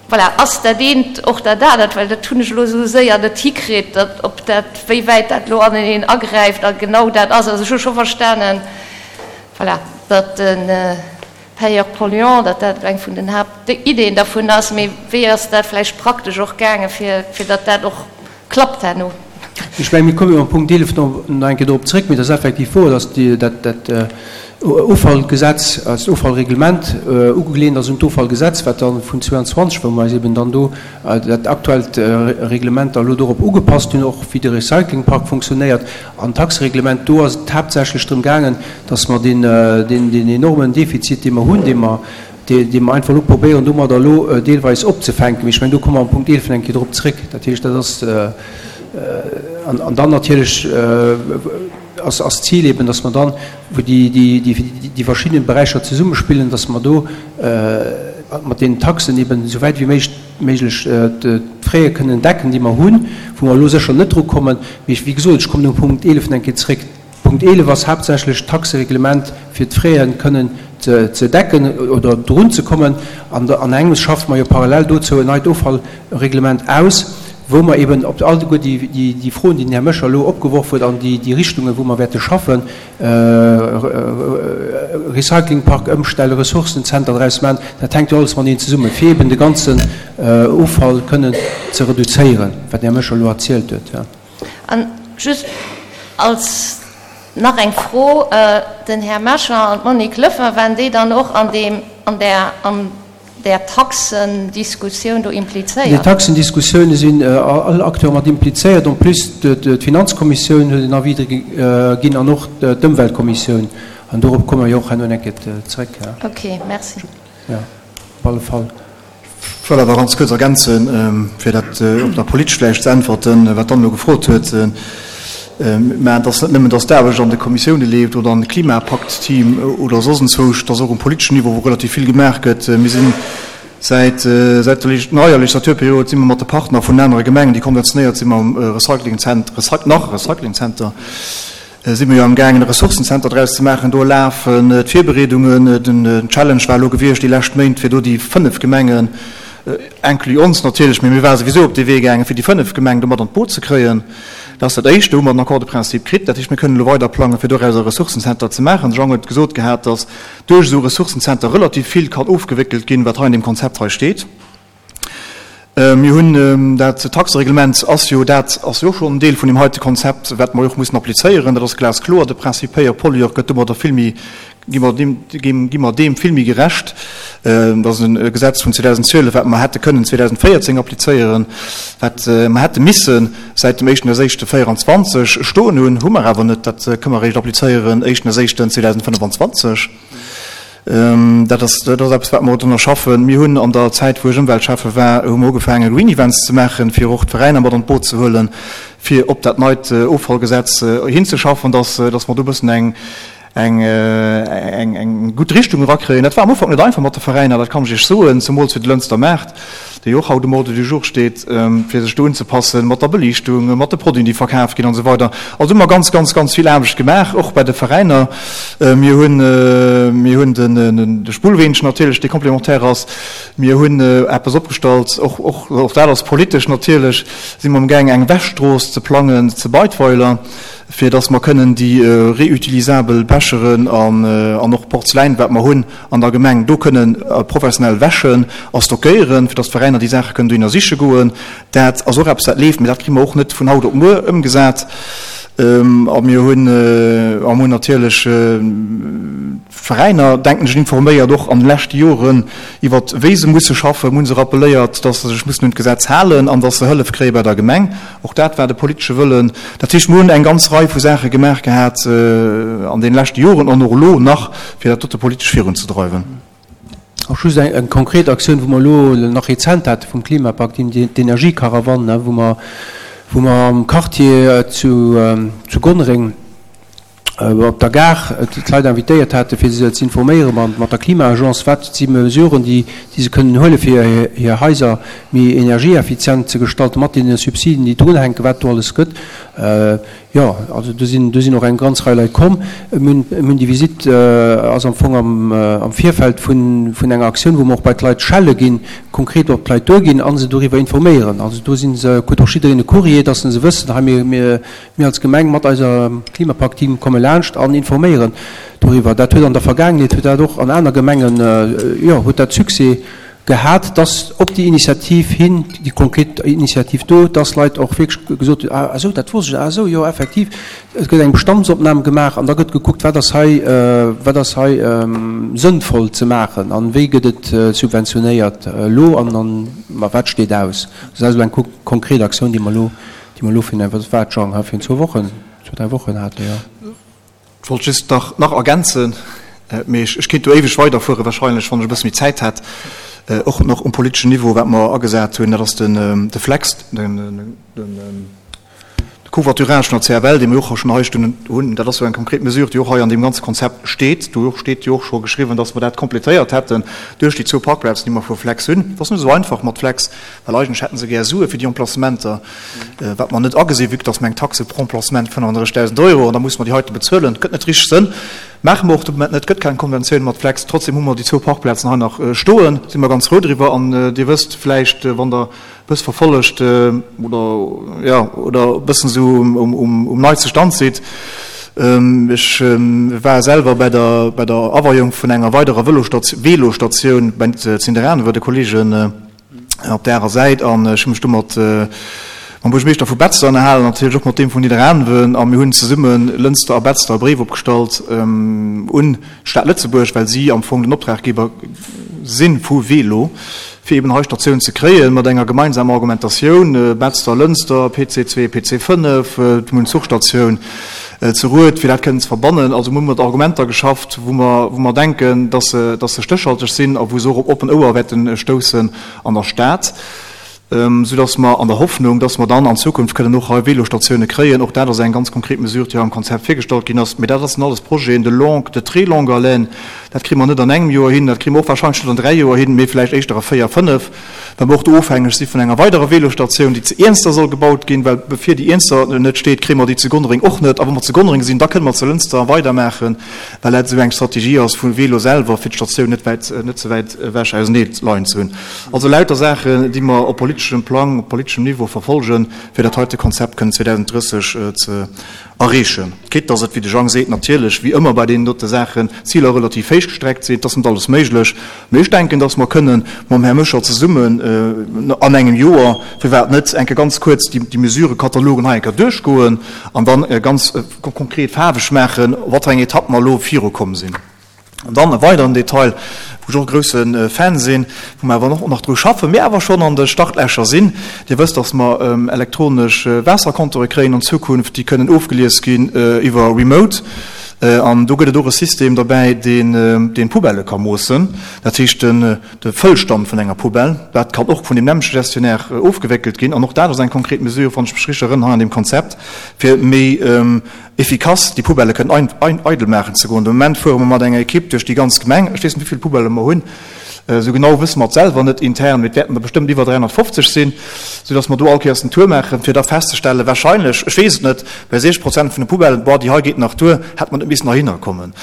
voilà, ass dat eent och dat anert, well dat hunn ech elo esou séier net hikritt, datt ob dat, wéi wäit dat elo aneneen agräift a genau dat ass. Also ech hu scho verstanen, voilà, datt de Payeur-polluant, datt dat eng vun den Haaptiddeen dervun ass, mee wéi ass dat vläicht praktesch och gaangen, fir, fir datt dat och klappt herno? Ech mengen, mir komme jo am Punkt eelef nach eng Kéier dorop zréck, mee et ass effektiv wouer, datt déi, dat, dat Offallgesetz, eist Offallreglement ugelehnt ass un d'Offallgesetz, wat da vun zwouanzwanzeg, wou mer eis eben dann do dat aktuellt Reglement da elo dorop ugepasst hunn, och wéi de Recyclingpark funktionéiert. An d'Taxereglement, do ass et haaptsächlech drëm gaangen, dass mer deen, deen enormen Defizit, dee mer hunn, dee mer, dee mer einfach elo probéieren domadder elo deelweis opzefänken, mee ech mengen, do komme mer am Punkt eelef eng Kéier drop zréck. Dat heescht, dat ass, an dann natierlech ass, ass d'Zil eben, dass mer dann, wou déi, déi, déi verschidden Beräicher zesummespillen, dass mer do mat deenen Taxen eben esou wäit wéi méiglech, méiglech d'Fraie kënnen decken, déi mer hunn, wou mer elo sécher net drukommen. Mee wéi gesot, ech kommen um Punkt eelef eng Kéier zréck. Punkt eelef ass haaptsächlech d'Taxereglement, fir d'Fraie kënnen ze decken oder drunzekommen. An an engems schaffe mer jo parallel dozou en neit Offallreglement aus, wou mer eben op alleguer déi Froen, déi den Här Moscher elo opgeworf huet, an déi Richtungen, wou mer wäerte schaffen, Recyclingpark ëmstellen, Ressourcenzenter draus maachen, dat hänkt jo alles mateneen zesummen, fir eben de ganzen Offall kënnen ze reduzéieren, wat den Här Moscher elo erzielt huet. An just als nach eng Fro, Den Här Moscher an d'Monique Löffler, waren déi dann och an deem, an där, an där Taxendiskussioun do An déi implizéiert? Taxendiskussioune sinn all Acteure mat implizéiert, en plus d'Finanzkommissioun huet en Avis ginn an och d'Ëmweltkommissioun. An dorop komme mer jo och herno eng Kéier zréck. Ok, merci. Jo, op alle Fall. Ech wëll awer ganz kuerz ergänzen, fir dat op der politesch vläicht ze äntwerten, wat d'Anne elo gefrot huet. Mä et ass net nëmmen, datt d'Aarbecht an de Kommissioune leeft oder an de Klimapakt-Team oder soss enzwousch, et ass och um politeschen Niveau, wou relativ vill gemaach gëtt. Mir sinn Säit säit der neier Legislaturperiod si mer mat de Partner vun anere Gemengen, déi konventionéiert si mam Recyclingzenter, nach Recyclingzenter, si mer jo amgaangen e Ressourcenzenter draus ze maachen. Do lafen d'Virbereedungen. Den Challenge war elo gewiescht déi lescht Méint, fir do déi fënnef Gemengen, inclus ons natierlech, mee mir ware souwisou op dee Wee gaangen, fir déi fënnef Gemengen do mat an d'Boot ze kréien. Dat ass dat Éischt. Do hu mer den Accord de principe kritt. Dat heescht, mir kënnen elo weider plangen, fir doraus e Ressourcenzenter ze maachen. De Jean huet gesot gehat, dass duerch esou e Ressourcenzenter relativ vill kann ofgewéckelt ginn, wat hei an deem Konzept hei steet. Mir hunn dat Taxereglement ass jo, dat ass jo och schonn en Deel vun deem heite Konzept, wat mer jo och mussen applizéieren. Dat ass glaskloer. De Principe Payeur-pollueur gëtt domadder vill méi, gi mer deem, gi mer deem vill méi gerecht. Dat ass e Gesetz vun zweedausendzwielef, wat mer hätte kënnen zweedausenvéierzéng applizéieren, wat mer hätte misse säit dem éischten éischte véieranzwanzeg stoen hunn, hu mer awer net. Dat kënne mer eréischt applizéieren éischten éischten zweedausendfënnefanzwanzeg. Dat ass, dat ass eppes, wat mer drënner schaffen. Mir hunn an der Zäit, wou ech Ëmweltschäffe war, hu mer ugefaangen, Green Events ze maachen, fir och d'Veräiner mat an d'Boot ze huelen, fir op dat neit Offallgesetz hinzeschaffen, dass, dass mer do e bëssen eng, eng, eng, eng gutt Richtung erakréien. Dat war am Ufank net einfach mat de Veräiner, dat kann ech Iech soen, zemools fir de Lënster Maart, dee jo och haut um Ordre du jour steet, fir sech do unzepassen, mat der Beliichtung, mat de Produiten, déi verkaf ginn an esou weider. Also hu mer ganz, ganz, ganz vill Aarbecht gemaach, och bei de Veräiner. Mir hunn, mir hunn den, de Spullweenchen natierlech, dee complémentaire ass. Mir hunn eppes opgestallt, och, och, och dat ass politesch natierlech, si mer amgaang eng Wäschstrooss ze plangen zu Beidweiler, fir dass mer kënnen déi reutilisabel Becheren an, an och Porzeläin, wat mer hunn an der Gemeng, do kënnen professionell wäschen a stockéieren, fir dass d'Veräiner déi Saache kënnen dohinner siche goen. Dat ass och eppes, dat leeft, mee dat kri mer och net vun haut op muer ëmgesat. A mir hunn, a mir hunn natierlech d'Veräiner, denken ech, informéiert, och an de leschte Joren, iwwer wéi se musse schaffen. Mir hu se rappelléiert, dass se sech mussen un d'Gesetz halen an dass se Hëllef kréie bei der Gemeng. Och dat war de politesche Wëllen. Dat heescht, mir hunn eng ganz Rei vu Saache gemaach gehat an deene leschte Joren an och elo nach, fir dat dote politesch virunzedreiwen. Och just eng konkret Aktioun, wou mer elo nach rezent hate vum Klimapakt, d'Energiekarawann, wou mer, wou mer am Quartier zu Gonnereng op der Gare d'Leit invitéiert hate fir se ze informéiere mat der Klima-Agence, wat si Mesuren, déi se kënnen huele fir hir Haiser méi energieeffizient ze gestalten, mat deene Subsiden, déi drunhänken, wat do alles gëtt. Jo, also do sinn, do sinn och eng ganz Rei Leit komm. Mir hunn déi Visitt ass am Fong am, am Virfeld vun, vun enger Aktioun, wou mer och bei d'Leit schelle ginn, konkret op d'Leit duerginn a se doriwwer informéieren. Also do si se, krut och jiddereen e Courrier, dass se wëssen, hei mir, mir, mir als Gemeng mat eiser Klimapakt-Team komme laanscht an informéieren doriwwer. Dat huet an der Vergaangenheet, huet dat och an aner Gemengen, jo, huet dat Succès gehat, dass op déi Initiativ hin, déi konkret Initiativ do, dass Leit och wierklech gesot hunn, ah esou, dat wosst ech net, ah esou, jo effektiv. Et gëtt eng Bestandsopnam gemaach an da gëtt gekuckt, wat ass hei, wat ass hei sënnvoll ze maachen an wéi gëtt et subventionéiert elo an an ma wat steet aus. Dat ass elo eng konkret Aktioun, déi mer elo, déi mer elo virun, wat war et, Jean, virun zwou Wochen, zwou, dräi Wochen haten, jo. Ech wollt just nach nach ergänzen, mee ech kéint do éiweg weiderfuere wahrscheinlech, wann ech e bësse méi Zäit hätt, och nach um politeschen Niveau, wat mer agesat hunn, dat ass den de Flex, den de Covoiturage vun der C F L, dee mir och schonn hei stoen hunn. Dat ass jo eng konkret Mesure, déi och hei an deem ganze Konzept steet. Do steet jo och scho geschriwwen, dass mer dat complétéiert hätten duerch déi zwou Parkplazen, déi mer vu Flex hunn. Dat ass net esou einfach mat Flex, well eigentlech hätte se gär Sue fir déi Emplacementer, wat mer net agesinn, vue que dass mer eng Taxe pro Emplacement fënnefandrëssigdausend Euro, an da musse mer déi heite bezuelen. Gëtt net richteg Sënn. Maache mer och de Moment net. Gëtt keng Konventioun mat Flex. Trotzdem hu mer déi zwou Parkplazen hei nach stoen, si mer ganz frou driwwer. An Dir wësst vläicht, wann Der e bësse verfollegt oder, jo, oder e bëssen esou um neiste Stand sidd, ech war selwer bei der, bei der Aweiung vun enger weiderer Vëlostatioun bei Zinderanewer, de Kollegen, op där arer Säit an ech hu mech do mat mam Buergermeeschter vu Betzder ënnerhalen, natierlech och mat deem vun Nidderaanwen a mir hunn zesumme Lënster a Betzder e Bréif opgestallt un d'Stad Lëtzebuerg, well si am Fong den Optraggeber si vu Welo, fir eben hei Statioun ze kréien, mat enger gemeinsamer Argumentatioun, Betzder, Lënster, P C zwee, P C fënnef, mir hunn d'Zuchstatioun ze Rued, fir dat kënnen ze verbannen. Also mir hu mat Argumenter geschafft, wou mer, wou mer denken, dass se, dass se stéchhalteg sinn a wou se och op oppen Ouer wäerte stoussen an der Stad. soudass mer an der Hoffnung, dass mer dann an Zukunft kënnen och hei Vélostatioune kréien, och dat ass eng ganz konkret Mesure, déi hei am Konzept virgestallt ginn ass, mee dat ass alles Projeten de longue, de très longue haleine, dat kréie mer net an engem Joer hin, dat kréie mer och wahrscheinlech net an dräi Joer hin, mee vläicht éischter a véier, fënnef, well mer och do ofhängeg si vun enger weiderer Vélostatioun, déi zu Iernster soll gebaut ginn, well bevir déi Iernster net steet, kréie mer déi zu Gonnereng och net. A wa mer zu Gonnereng sinn, da kënne mer zu Lënster weidermaachen, well dat esou eng Strategie ass vum Vélo selwer, fir d'Statioun net wäit, net ze wäit ewech ausenee leien ze hunn. Also lauter Saachen, déi mer op politeschem Plang, op politeschem Niveau verfolgen, fir dat heite Konzept kënnen zweedausenddrësseg ze erreechen. Quitte dass et, wéi de Jang seet, natierlech, wéi ëmmer bei deenen dote Saachen, d'Ziler relativ héich gestreckt sinn. Et ass net alles méiglech, mee ech denken, dass mer kënnen mam Här Moscher zesummen an engem Joer, firwat net, eng Kéier ganz kuerz déi Mesurekatalogen hei eng Kéier duerchgoen an dann ganz konkret faarweg maachen, wat fir eng Etapp mer elo virukomm sinn. An dann e weideren Detail, wou ech och e grousse Fan sinn, wou mer awer och nach dru schaffen, mee awer schonn an de Startlächer sinn. Dir wësst, dass mer elektronesch Waassercompteure kréien an Zukunft, déi kënnen ofgelies ginn iwwer Remote. An do gëtt et och e System derbäi, deen deen d'Poubellë ka moossen, dat heescht den de Fëllstand vun enger Poubelle. Dat kann och vun deem nämmleche Gestionnaire ofgewéckelt ginn. An och dat ass eng konkret Mesure, wann ech mech richteg erënnern, hei an deem Konzept, fir méi efficace déi Poubellë kënnen eidel maachen ze goen. De Moment fuere mer mat enger Equipe duerch déi ganz Gemeng. Ech weess net, wéi vill Poubellë mer hunn. Esou genau wësse mer et selwer net intern, mee et wäerten der bestëmmt iwwer dräihonnertfofzeg sinn, soudass mer do all Kéiers den Tour maachen, fir da festzestellen, wahrscheinlech, ech weess et net, bei siechzeg Prozent vun de Poubellen, boah, déi hei geet nach duer, hätt mer net missen heihinner kommen.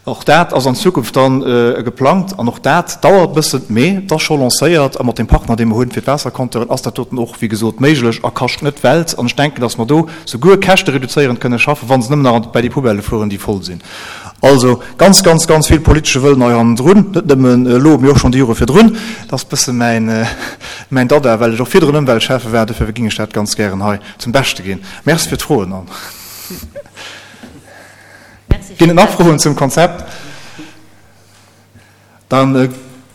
Och dat ass an Zukunft dann geplangt an och dat dauert e bëssen, mee et ass scho lancéiert a mat deem Partner, dee mer hunn fir d'Waassercompteuren, ass dat doten och, wéi gesot, méiglech a kascht net d'Welt. An ech denken, dass mer do souguer käschtereduzéierend kënne schaffen, wa se nëmmen nach bäi déi Poubellë fueren, déi voll sinn. Also ganz, ganz, ganz vill politesche Wëllen hei hannendrun, net nëmmen elo, mee och schonn déi Jore virdrun. Dat ass e bësse mäin, mäin Dada, well ech och virdrun Ëmweltschäffe war, dofir géing ech dat ganz gären hei zum Beschte ginn. Merci fir d'Froen. An ginn et nach Froen zum Konzept? Da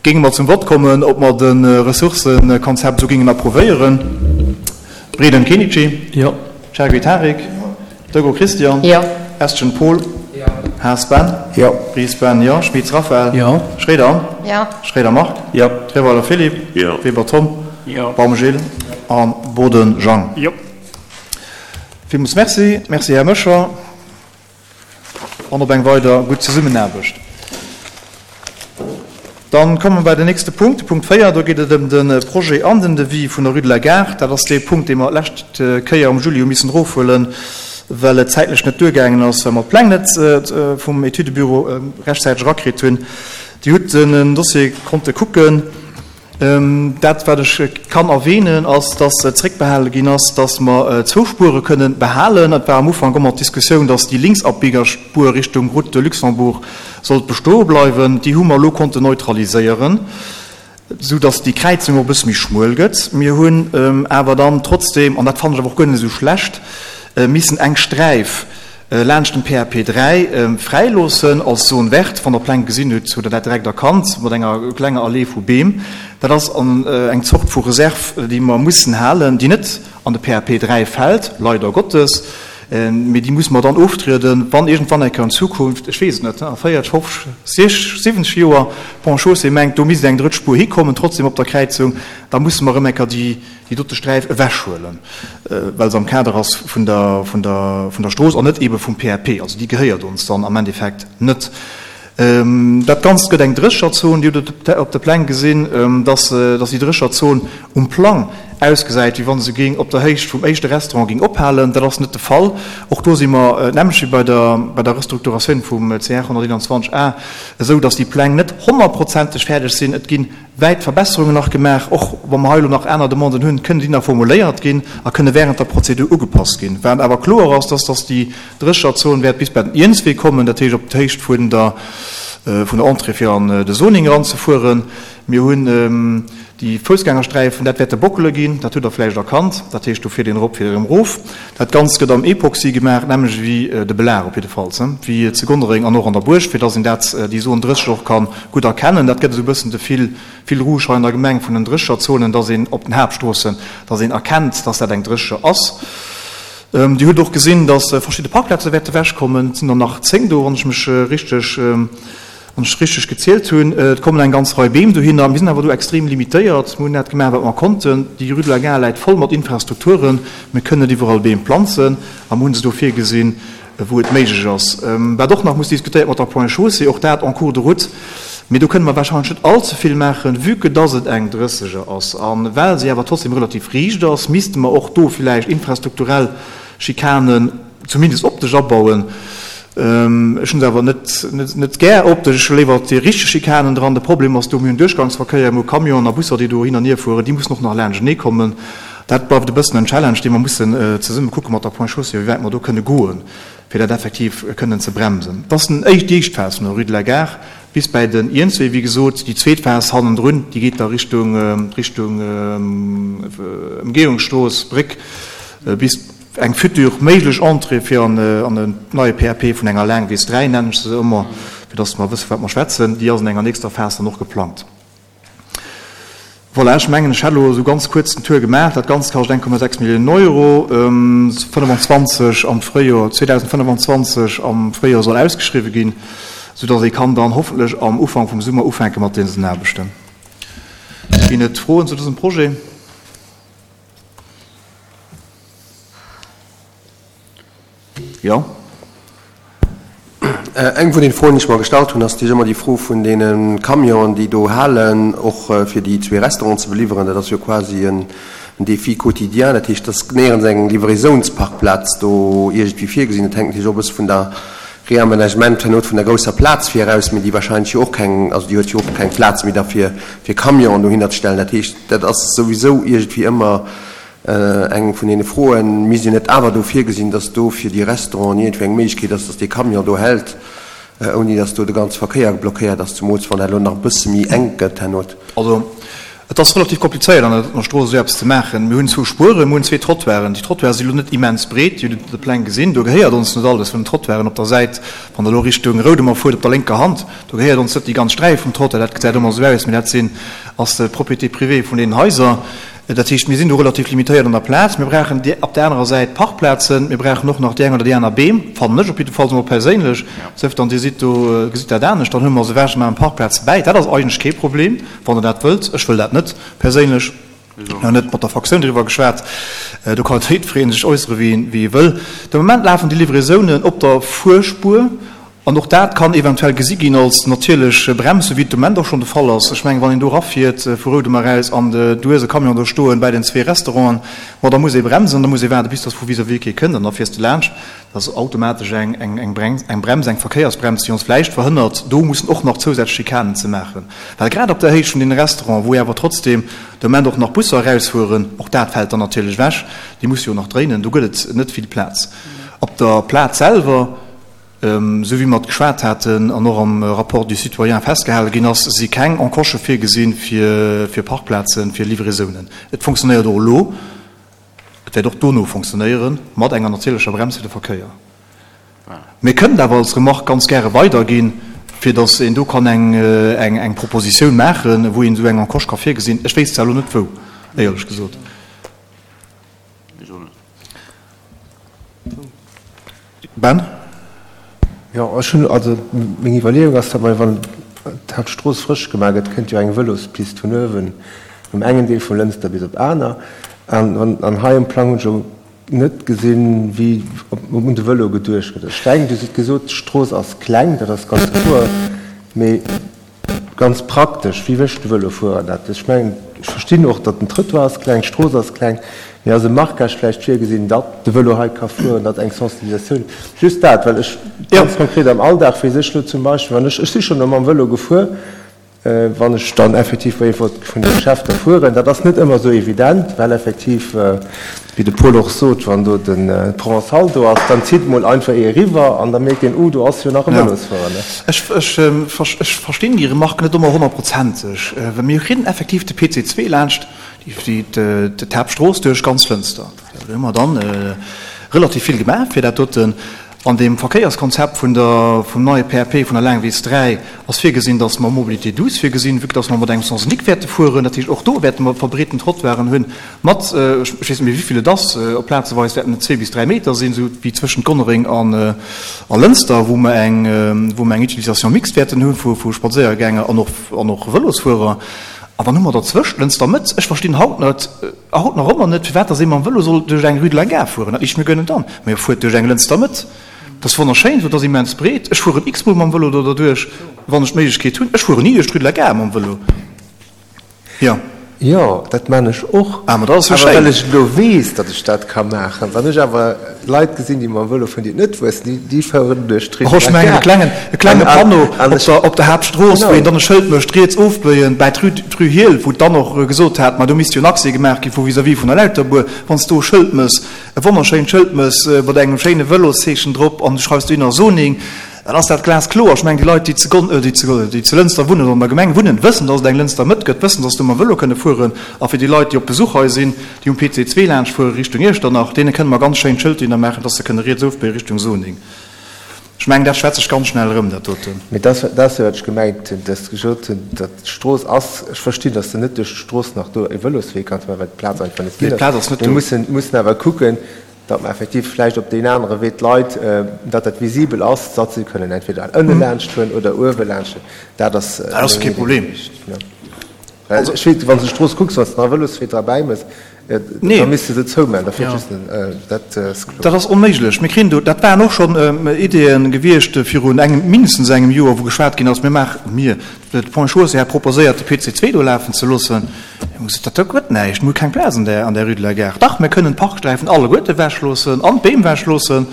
géinge mer zum Vott kommen, ob mer de Ressourcëkonzept esou géingen approuvéieren. Breden Kenichi? Jo. Chergui Tarik? Jo. Dego Christian? Jo. Estgen Paul? Jo. Haas Ben? Jo. Ries Ben, jo. Schmitz Raphaël? Jo. Schroeder Anne? Jo. Schroeder Marc? Jo. Trierweiler Philippe? Jo. Weber Tom? Jo. Baum Gilles? A Boden Jang? Jo. Villmools Merci. Merci, Här Moscher. An op eng weider gutt Zesummenaarbecht. Dann komme mer bei den nächste Punkt, de Punkt véier. Do geet et ëm de Projet an den Devis vun der Rue de la Gare. Dat ass dee Punkt, dee mer d'lescht Kéier am Juli hu missen erofhuelen, well et zäitlech net duergaangen ass, well mer d'Pläng net vum Etüdebüro rechtzäiteg erakritt hunn. Dir hutt den Dossier konnte kucken. Dat, wat ech kann erwähnen, ass, dass zréckbehale ginn ass, dass mer zwou Spuere kënnen behalen. Et war am Ufank ëmmer d'Diskussioun, dass déi Linksabbiegerspuer Richtung Route de Luxembourg sollt bestoe bleiwen. Déi hu mer elo konnten neutraliséieren, esou dass déi Kräizung och e bësse méi schmuel gëtt. Mir hunn awer dann trotzdem, an dat fannen ech awer och guer net esou schlecht, missen eng Sträif laanscht dem P A P dräi fräiloossen als Zone verte. Wann Der Pläng gesinn hutt, hutt Der dat direkt erkannt, mat enger klenger Allee vu Beem. Dat ass eng Zort vu Reserve, déi mer mussen halen, déi net an de P A P dräi fält, leider Gottes, mee déi musse mer dann oftrieden, wann iergendwann eng Kéier an Zukunft, ech weess et net, a véierteg, fofzeg, siwwenzeg Joer d'Ponts et Chaussées mengt, do misst eng drëtt Spuer hikommen, trotzdem op der Kräizung, da musse mer erëm eng Kéier déi déi dote Sträif ewechhuelen, well se am Kader ass vun der, vun der, vun der Strooss an net eebe vum P A P. Also déi gehéiert ons dann am Endeffekt net. Dat Ganzt gëtt eng Drécherzon. Dir hutt et op de Pläng gesinn, dass, dass déi Drécherzon um Plang ausgesäit, wéi wa se géing op der Héicht vum éischte Restaurant géing ophalen. Dat ass net de Fall. Och do si mer, d'nämmlecht wéi bei der, bei der Restrukturatioun vum C R honnerteenanzwanzeg A, esou, dass déi Pläng net honnertprozenteg fäerdeg sinn. Et ginn wäit Verbesserungen nach gemaach. Och wa mer hei elo nach aner Demanden hunn, kënnen déi nach formuléiert ginn a kënne während der Prozedur ugepasst ginn. Wat awer kloer ass, dass, dass déi Drécherzon wäert bis bei den Iernzwee kommen, dat heescht op d'Héicht vun der, vun der Entrée fir an de Zoning eranzefueren. Mir hunn déi Foussgängersträifen, dat wäerte Bockele ginn, dat hutt Der vläicht erkannt, dat heescht do fiert een erop, fiert erëm erof. Dat Ganzt gëtt am Epoxy gemaach, nämlech ewéi de Belag op jiddefalls, wéi zu Gonnereng an och an der Buerg, fir dass een dat, déi Zone drësseg och ka gutt erkennen. Dat gëtt esou e bëssen de Fil, Fil rouge hei an der Gemeng vun den Drécherzonen, dass een op den Haaptstroossen, dass een erkennt, dass dat eng Drécher ass. Dir hutt och gesinn, dass verschidde Parkplaze wäerte wechkommen. Et sinn der nach zéng do, wann ech mech richteg wann ech richteg gezielt hunn. Et kommen eng ganz Rei Beem dohinner. Mir sinn awer do extrem limitéiert. Mir hunn dat gemaach, wat mer konnten. Déi Rue de la Gare läit voll mat Infrastrukturen. Mir kënnen net iwwerall Beem planzen a mir hu se do virgesinn, wou et méiglech ass. Wat och nach muss diskutéiert mat der Point Chaussée, och dat en cours de route. Mee do kënne mer warscheinlech net all ze vill maachen, vue que dass et eng Drësseger ass. A well se awer trotzdem relativ riicht ass, misste mer och do villäicht infrastrukturell Schikanen zumindest optesch abauen. Ech hunn se awer net, net gär optesch, ech hu léiwer déi richteg Schikanen dran. De Problem ass do, mir hunn Duerchgangsverkéier, mir hu Camionen a Busser, déi do hin an hier fueren, déi mussen och nach laanschtenee kommen. Dat bleift e bëssen en Challenge, dee mer mussen zesumme kucke mat der Point Chaussée, wéi wäit mer do kënne goen, fir dat effektiv kënnen ze bremsen. Dat ass den éischt, déi éischt Phas vun der Rue de la Gare bis bäi den Iernzwee. Wéi gesot, déi zweet Phas hannendrun, déi geet da Richtung, Richtung Ëmgehungsstrooss, Bréck, bis eng futur méiglech Entrée fir an en neie P A P vun enger Laangwiss dräi, nennen ech se ëmmer, fir dass mer wësse wat mer schwätzen, déi ass an enger nächster Phas dann och geplangt. Voilà, ech mengen, ech hätt elo esou ganz kuerz den Tour gemaach. Dat Ganzt kascht eng Komma sechs Milliounen Euro, fënnefenzwanzeg am Fréijoer, zweedausendfënnefenzwanzeg am Fréijoer soll ausgeschriwwen ginn, soudass ee kann dann hoffentlech am Ufank vum Summer ufänke mat dësen Aarbechten. Ginn et Froen zu dësem Projet? Jo. Eng vun den Froen, déi ech mer gestallt hunn, ass déi ëmmer déi Fro vun deene Camionen, déi do halen, och fir déi zwee Restauranten ze beliwweren. Dat ass jo quasi en Défi quotidien. Dat heescht, dass néierens eng Livraisounsparkplaz do iergendwéi virgesinn. Dat hänkt natierlech och e bësse vun der Réaménagement herno vun der grousser Plaz vir eraus, mee déi wahrscheinlech jo och keng, also déi huet jo och keng Plaz méi da fir, fir Camionen dohinner ze stellen. Dat heescht, dat ass souwisou iergendwéi ëmmer eng vun deene Froen. Misst een net awer do virgesinn, dass do fir déi Restauranten iergendwéi eng Méiglechkeet ass, dass dee Camion do hält, ouni dass do de ganze Verkéier blockéiert ass, zumools wann dat elo nach e bësse méi enk gëtt herno? Also, et ass relativ komplizéiert an der Strooss esou eppes ze maachen. Mir hunn zwou Spueren, mir hunn zwee Trottoiren. Déi Trottoiren si lo net immens breet, Dir hutt et op de Pläng gesinn. Do gehéiert ons net alles vun den Trottoiren op der Säit, wann Der elo Richtung Roudemer fuert, op der lénker Hand, do gehéiert ons net déi ganz Sträif vum Trottoir. Dat gesäit ëmmer esou aus, mee dat sinn, ass d'Propriété privée vun deenen Haiser. Dat heescht, mir sinn do relativ limitéiert an der Plaz. Mir brauchen op där anerer Säit Parkplazen. Mir brauchen och nach déi eng oder déi aner Beem, fannen ech op jidde Fall emol perséinlech. Sief dann, Dir sidd do, gesitt dat anescht. Dann hu mer se ewech a maachen Parkplaze bäi. Dat ass eigentlech kee Problem, wann Der dat wëllt. Ech wëll dat net perséinlech. Nach net mat der Fraktioun driwwer geschwat. Do kann jiddweree sech äussere wéi e wëll. De Moment lafen déi Livraisounen op der Fuerspuer. An och dat kann eventuell gesi ginn als natierlech Brems, esou wéi et de Moment och schonn de Fall ass. Ech mengen, wann een do erafiert vu Roudemer eraus an du hues e Camion do stoen bäi den zwee Restauranten, ma da muss ee bremsen an da muss ee waarde bis dass vu vis-à-vis kee kënnt an da fiers de laanscht. Dat ass automatesch eng eng Brems, eng Verkéiersbrems, déi ons vläicht verhënnert, do mussen och nach zousätzlech Schikanen ze maachen. Well grad op der Héicht vun deene Restauranten, wou awer trotzdem de Moment och nach Busser erausfueren, och dat fält dann natierlech ewech, déi musse jo nach dréinen, do gëtt et net vill Plaz. Op der Plaz selwer, esou wéi mer et geschwat haten an och am Rapport du citoyen festgehale ginn ass, si keng Encoche virgesinn fir Parkplazen, fir Livraisounen. Et fonctionnéiert och elo, et wäert och dono fonctionnéieren, mat enger natierlecher Brems fir de Verkéier. Mir kënnen et awer als Remarque ganz gäre weiderginn, fir datt een do kann eng Propositioun maachen, wou een esou eng Encoche ka virgesinn. Ech wéisst zwar elo net wou, éierlech gesot. Ben? Jo, ech hunn, also meng Iwwerleeung ass, datt mer, wann d'Haaptstrooss frësch gemaach gëtt, kënnt jo eng Vëlospist vun uewen um engen Deel vu Lënster bis op aner. An, an hei um Plang hunn ech elo net gesinn, wéi un de Vëlo geduecht gëtt. Ech denken, Dir hutt gesot, d'Strooss ass kleng, dat ass ganz kloer, mee ganz praktesch, wéi mécht de Vëlofuerer dat? Ech mengen, ech verstinn och, datt den Trëttoir ass kleng, d'Strooss ass kleng, mee ass e Marquage vläicht virgesinn, datt de Vëlo hei ka fueren, datt eng Sensibilisatioun, just dat, well ech ganz konkret am Alldag weess ech elo zum Beispill, wann ech, ech si schonn elo mam Vëlo gefuer, wann ech dann effektiv bei eent vun de Geschäfter fueren, dat ass net ëmmer esou evident, well effektiv, wéi de Paul och sot, wann do de Provençal do ass, dann zitt mol einfach ee eriwwer an da mierkt een, oh, do ass jo nach e Vëlosfuerer. Ech verstinn déi Remarque net ëmmer honnertprozenteg, well mir kréien effektiv de P C zwee laanscht d'Haaptstrooss duerch ganz Lënster. Do hu mer dann relativ vill gemaach fir dat doten. An deem Verkéierskonzept vun der, vum neie P A P vun der Laangwiss dräi ass virgesinn, dass mer Mobilité douce virgesinn, vue que dass mer mat engem Sens unique wäerte fueren. Dat heescht, och do wäerte mer verbreeten Trottoiren hunn mat, ech weess net méi wéivill et ass, op plazeweis wäerten et zwee bis dräi Meter sinn, esou wéi zwëschent Gonnereng an a Lënster, wou mer eng, wou mer eng Utilisation mixte wäerten hu vu, vu Spadséiergänger an och, an och Vëlosfuerer. An dann hu mer derzwëscht Lënster Mëtt. Ech verstinn haut net, haut nach ëmmer net, firwat dass ee mam Vëlo soll duerch eng Rue de la Gare fueren. Dat liicht mir guer net an. Mä fuert duerch eng Lënster Mëtt. Dat ass wonnerschéin, dat ass immens breet. Ech fueren x-mol mam Vëlo do derduerch, wann ech d'Méiglechkeet hunn. Ech fueren ni duerch d'Rue de la Gare mam Vëlo. Jo. Jo, dat man ech och. Ah, ma dat ass jo Awer well schéin. ech elo weess, datt ech dat ka maachen. Wann ech awer Leit gesinn, déi mam Vëlo fueren, déi et net wëssen, déi, déi fueren duerch d'Rue Och de ech la mengen, e Gare. klengen, e klenge An, an, Panneau an op ech, der, op der Haaptstrooss, wou een genau. dann e Schëld mécht, riets ofbéien, bäi d'Rue, d'Rue Hiehl, wou d'Anne och gesot hat, ma do misst jo en Accès gemaach gi vu vis-à-vis vun der Lauterbuer, wann s du e Schëld méchs, e wonnerschéint Schëld méchs mat engem schéine Vëloszeechen drop an du schreifs dohinner Zoning, dann ass dat glaskloer. Ech mengen, déi Leit, déi zu Gon-, déi zu, déi zu Lënster wunnen oder an der Gemeng wunnen, wëssen, dass et eng Lënster Mëtt gëtt, wëssen, dass se do mam Vëlo kënne fueren. A fir déi Leit, déi op Besuch hei sinn, déi um P C zwee laanscht fuere Richtung Iechternach, deene kënne mer ganz schéin Schëlter maachen, dass se kënne riets ofbéie Richtung Zoning. Ech mengen, dat schwätzt sech ganz schnell erëm, dat doten. Mee dat, dat ass jo, wat ech gemengt hunn, dass ech gesot hunn, datt d'Strooss ass, ech verstinn, dass de net duerch d'Strooss nach do e Vëloswee kanns maachen, well d'Plaz einfach net Nee, ginn ass. d'Plaz ass net Mir do. mussen, mussen awer kucken, datt mer effektiv vläicht op deen anere Wee d'Leit, datt dat visibel ass, datt se kënnen entweder ënne laanscht fueren oder uewe laanscht fueren. Dat ass Dat ass meng kee Idee Problem. gewiescht, ne. Well ech weess, wann s de d'Strooss kucks, wann s de nach e Vëloswee derbäi mëss, Nee. da misst de se zoumaachen, da fiert Ja. just en, dat ass kloer. Dat ass onméiglech. Mir kriegen do, dat waren och schonn Ideeën gewiescht virun engem, mindestens engem Joer, wou geschwat ginn ass, mir maachen, mir, de Point Chaussée hat proposéiert, de P C zwee do lafen ze loossen. Mir hu gesot, dat gëtt näischt, mir hu keng Plaz an där, an där Rue de la Gare. Dach, mir kënnen d'Parksträifen alleguerte ewechloossen an d'Beem ewechloossen,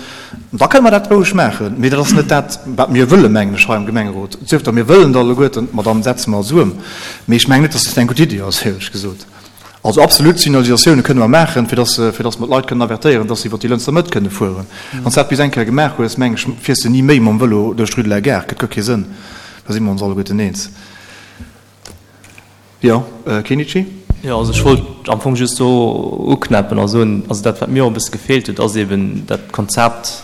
da kënne mer dat roueg maachen. Mee dat ass net dat, wat mir wëllen, mengen ech, hei am Gemengerot. Sief da, mir wëllen et alleguerten, ma dann setze mer eis ëm. Mee ech mengen net, dass dat eng gutt Iddi ass, éierlech gesot. Also absolut Signalisatioune kënne mer maachen, fir dass, fir dass mer d'Leit kënnen avertéieren, dass se iwwer déi Lënster Mëtt kënne fueren. Wann s du dat bis eng Kéier gemaach hues, meng ech, fiers du ni méi mam Vëlo duerch d'Rue de la Gare. Gëtt guer kee Sënn. Da si mer ons alleguerten eens. Jo, Kenichi? Jo, also ech wollt am Fong just do uknäppen a soen, also dat, wat mir och e bësse gefeelt huet, ass eben dat Konzept,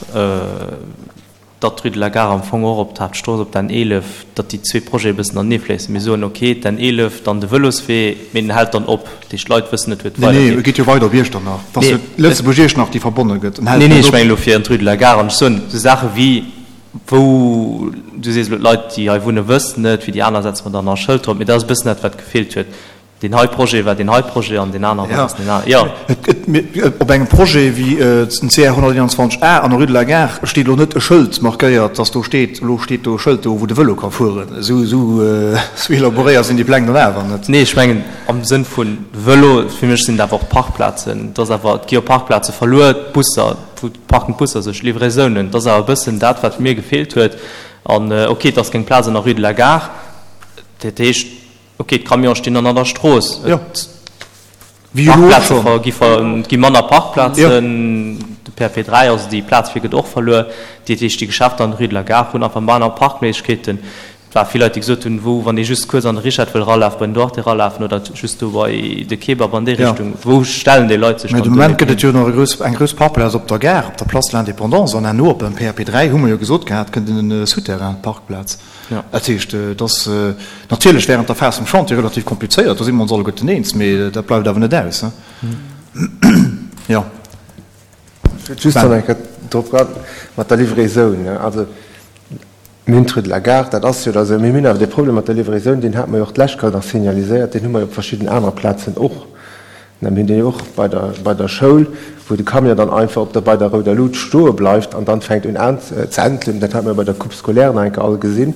datt d'Rue de la Gare am Fong och op d'Haaptstrooss, op d'N eelef, datt déi zwee Projete e bëssen aneefléissen. Mir soen, okay, d'N eelef, dann de Vëloswee, mee den hält dann op. Dat heescht, d'Leit wëssen net, wou et Nee, nee, weidergeet. e geet jo weider op Iechternach. Et ass jo Nee. Lëtzebuerg-Iechternach, déi verbonne gëtt. En hält Nee, nee, net ech op. mengen elo fir an d'Rue de la Gare. An ech soen, esou Saache wéi, wou, du sees elo, d'Leit, déi hei wunnen, wëssen et, fir déi aner setze mer dann nach e Schëld drop. Mee dat ass e bëssen dat, wat gefeelt huet. Deen hei Projet war deen hei Projet an deen anere war Ja. deen anere. Ja. Et, et, mir, op engem Projet wéi den C R honnerteenanzwanzeg A an der Rue de la Gare steet elo net e Schëld markéiert, dass do steet, elo steet do e Schëld do, wou de Vëlo ka fueren. Esou, esou, esou élaboréiert sinn déi Pläng dann awer net. Nee, ech mengen am Sënn vun Vëlo, fir mech sinn et awer och Parkplazen. Et ass awer, et gi jo Parkplaze verluer, d'Busser, wou parken d'Busser sech, Livraisonen. Et ass awer e bëssen dat, wat mir gefeelt huet. An, okay, et ass keng Plaz an der Rue de la Gare. Dat heescht, okay, d'Camione stinn dann an der Strooss. Ja. Et Wéi elo och Parkplaze schon. ver-, gi ver-, et gi manner Parkplazen. Ja. De P P dräi, also déi Plaz fir gëtt och verluer. Dat heescht, déi Geschäfter an der Rue de la Gare hunn einfach manner Parkméiglechkeeten. Et war vill Leit, déi gesot hunn, wou, wann ee just kuerz an de Richard wëll ralafen, bei den Duarte ralafen oder just do bei de Kebab an déi Ja. Richtung, wou stellen déi Leit sech Mä dann de do Moment gëtt hin? et jo nach e grouss, eng grouss Parkplaz op der Gare, op der Place de l'Indépendance, an herno op dem P P dräi hu mer jo gesot gehat, kënnt en Souterrain, Parkplaz. Ja. Dat heescht, et ass natierlech während der Phas vum Chantier relativ komplizéiert, do si mer ons alleguerten eens, mee dat bleift awer net aus. Mhm. Ja. Ech wëll just nach eng Kéier drop ran, mat der Livraison, ne? Also, mir hunn d'Rue de la Gare, dat ass jo da sou, mee mir hunn awer de Problem mat der Livraison, deen hat mer jo och d'lescht Kéier nach signaliséiert, deen hu mer jo op verschidden anere Plazen och. Mir hunn deen jo och bei der, bei der Schoul, wou de Camion dann einfach op der, bei der rouder Lut stoe bleift an dann fänkt un an ze entlen. Dat hat mer bei der Coupe scolaire nach eng Kéier all gesinn.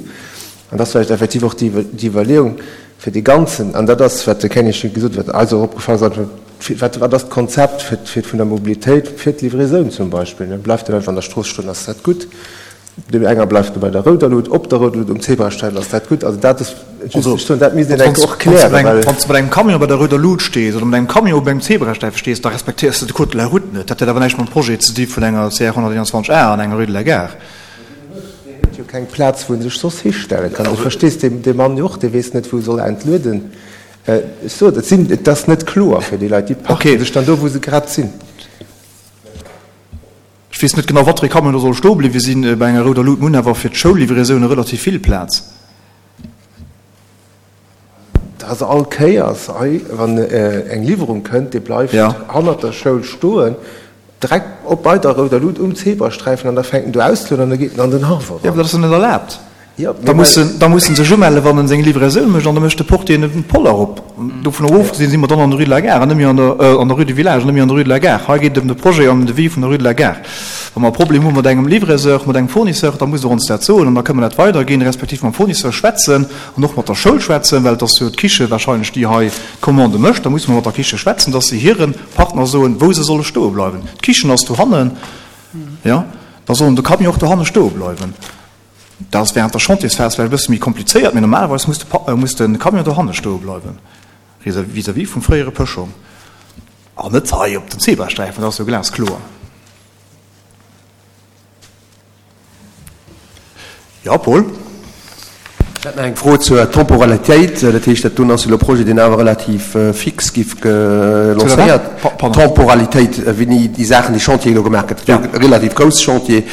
An das vielleicht effektiv och déi, déi Iwwerleeung fir de ganzen, an dat ass, wat de Kenny schon gesot huet, wat eis och opgefallen ass, wat, wat ass d'Konzept fir, fir vun der Mobilitéit, fir d'Livraison zum Beispill, ne? Bleift den einfach an der Strooss stoen, ass dat gutt? Dem enger bleift bei der rouder Lut, op der rouder Lut, um Zebrasträifen, ass dat gutt? Also dat ass just Also, ech soen, dat misst een wann enk s och wann s klären, mat engem, well wann s mat engem Camion bei der rouder Lut stees oder mat engem Camion op engem Zebrasträifen stees, da respektéiers du de Code de la route net. Dat huet awer näischt mam Projet ze di vun enger C R honnerteenanzwanzeg A an enger Rue de la Gare. Deen huet jo keng Plaz, wou en sech soss histelle kann. Du verstees dee, dee Mann jo och, dee weess net, wou soll er entlueden. Äh, ech soen, dat sinn, dat ass net kloer fir déi Leit, déi parken Okay. sech dann do, wou se grad sinn. Ech Ech weess net genau, wat fir ee Camion do soll stoe bliwwe sinn. Bei enger rouder Lut. Mir hunn awer fir d'Schoullivraisounen relativ vill Plaz. Dat ass all Kéiers hei, wann eng Liwwerung kënnt, dee bleift hannert der Schoul stoen, direkt op bei der rouder Lut um Zebrasträifen an da fänkt en do auszelueden an da geet en an den Haff eran. Jo, awer dat ass jo net erlaabt. Da muss en, da muss en sech umellen, wann en seng Livraison mécht, an da mécht de Portier en Poller op. Dovunner ofgesinn si mer dann an der Rue de la Gare an net méi an der, an der Rue du Village an net méi an der Rue de la Gare. Hei geet et ëm de Projet an ëm de Devis vun der Rue de la Gare. Wa mer e Problem hu mat engem Livraiseur, mat engem Fournisseur, da musst Der ons dat soen an da kënne mer dat weiderginn, respektiv mam Fournisseur schwätzen an och mat der Schoul schwätzen, well et ass jo d'Kiche wahrscheinlech, déi hei d'Commande mécht. Da musse mer mat der Kiche schwätzen, dass se hire Partner soen, wou se solle stoe bleiwen. D'Kichen ass dohannen, jo, da sollen de Camion och dohanne stoe bleiwen. Dat ass während der Chantiersphas vläicht e bësse méi komplizéiert, mee normalerweis muss de, muss de Camion dohanne stoe bleiwen, vis-à-vis vum fréiere Pëschong, an net hei op den Zebrasträifen, dat ass jo glaskloer. Jo, Paul? Ech hätt nach eng Fro zur Temporalitéit. Dat heescht, dat doen ass jo elo e Projet, deen awer relativ fix giff lancéiert. Temporalitéit, wéini déi Saachen, déi Chantier elo gemaach gëtt. Dat ass jo e relativ grousse Chantier.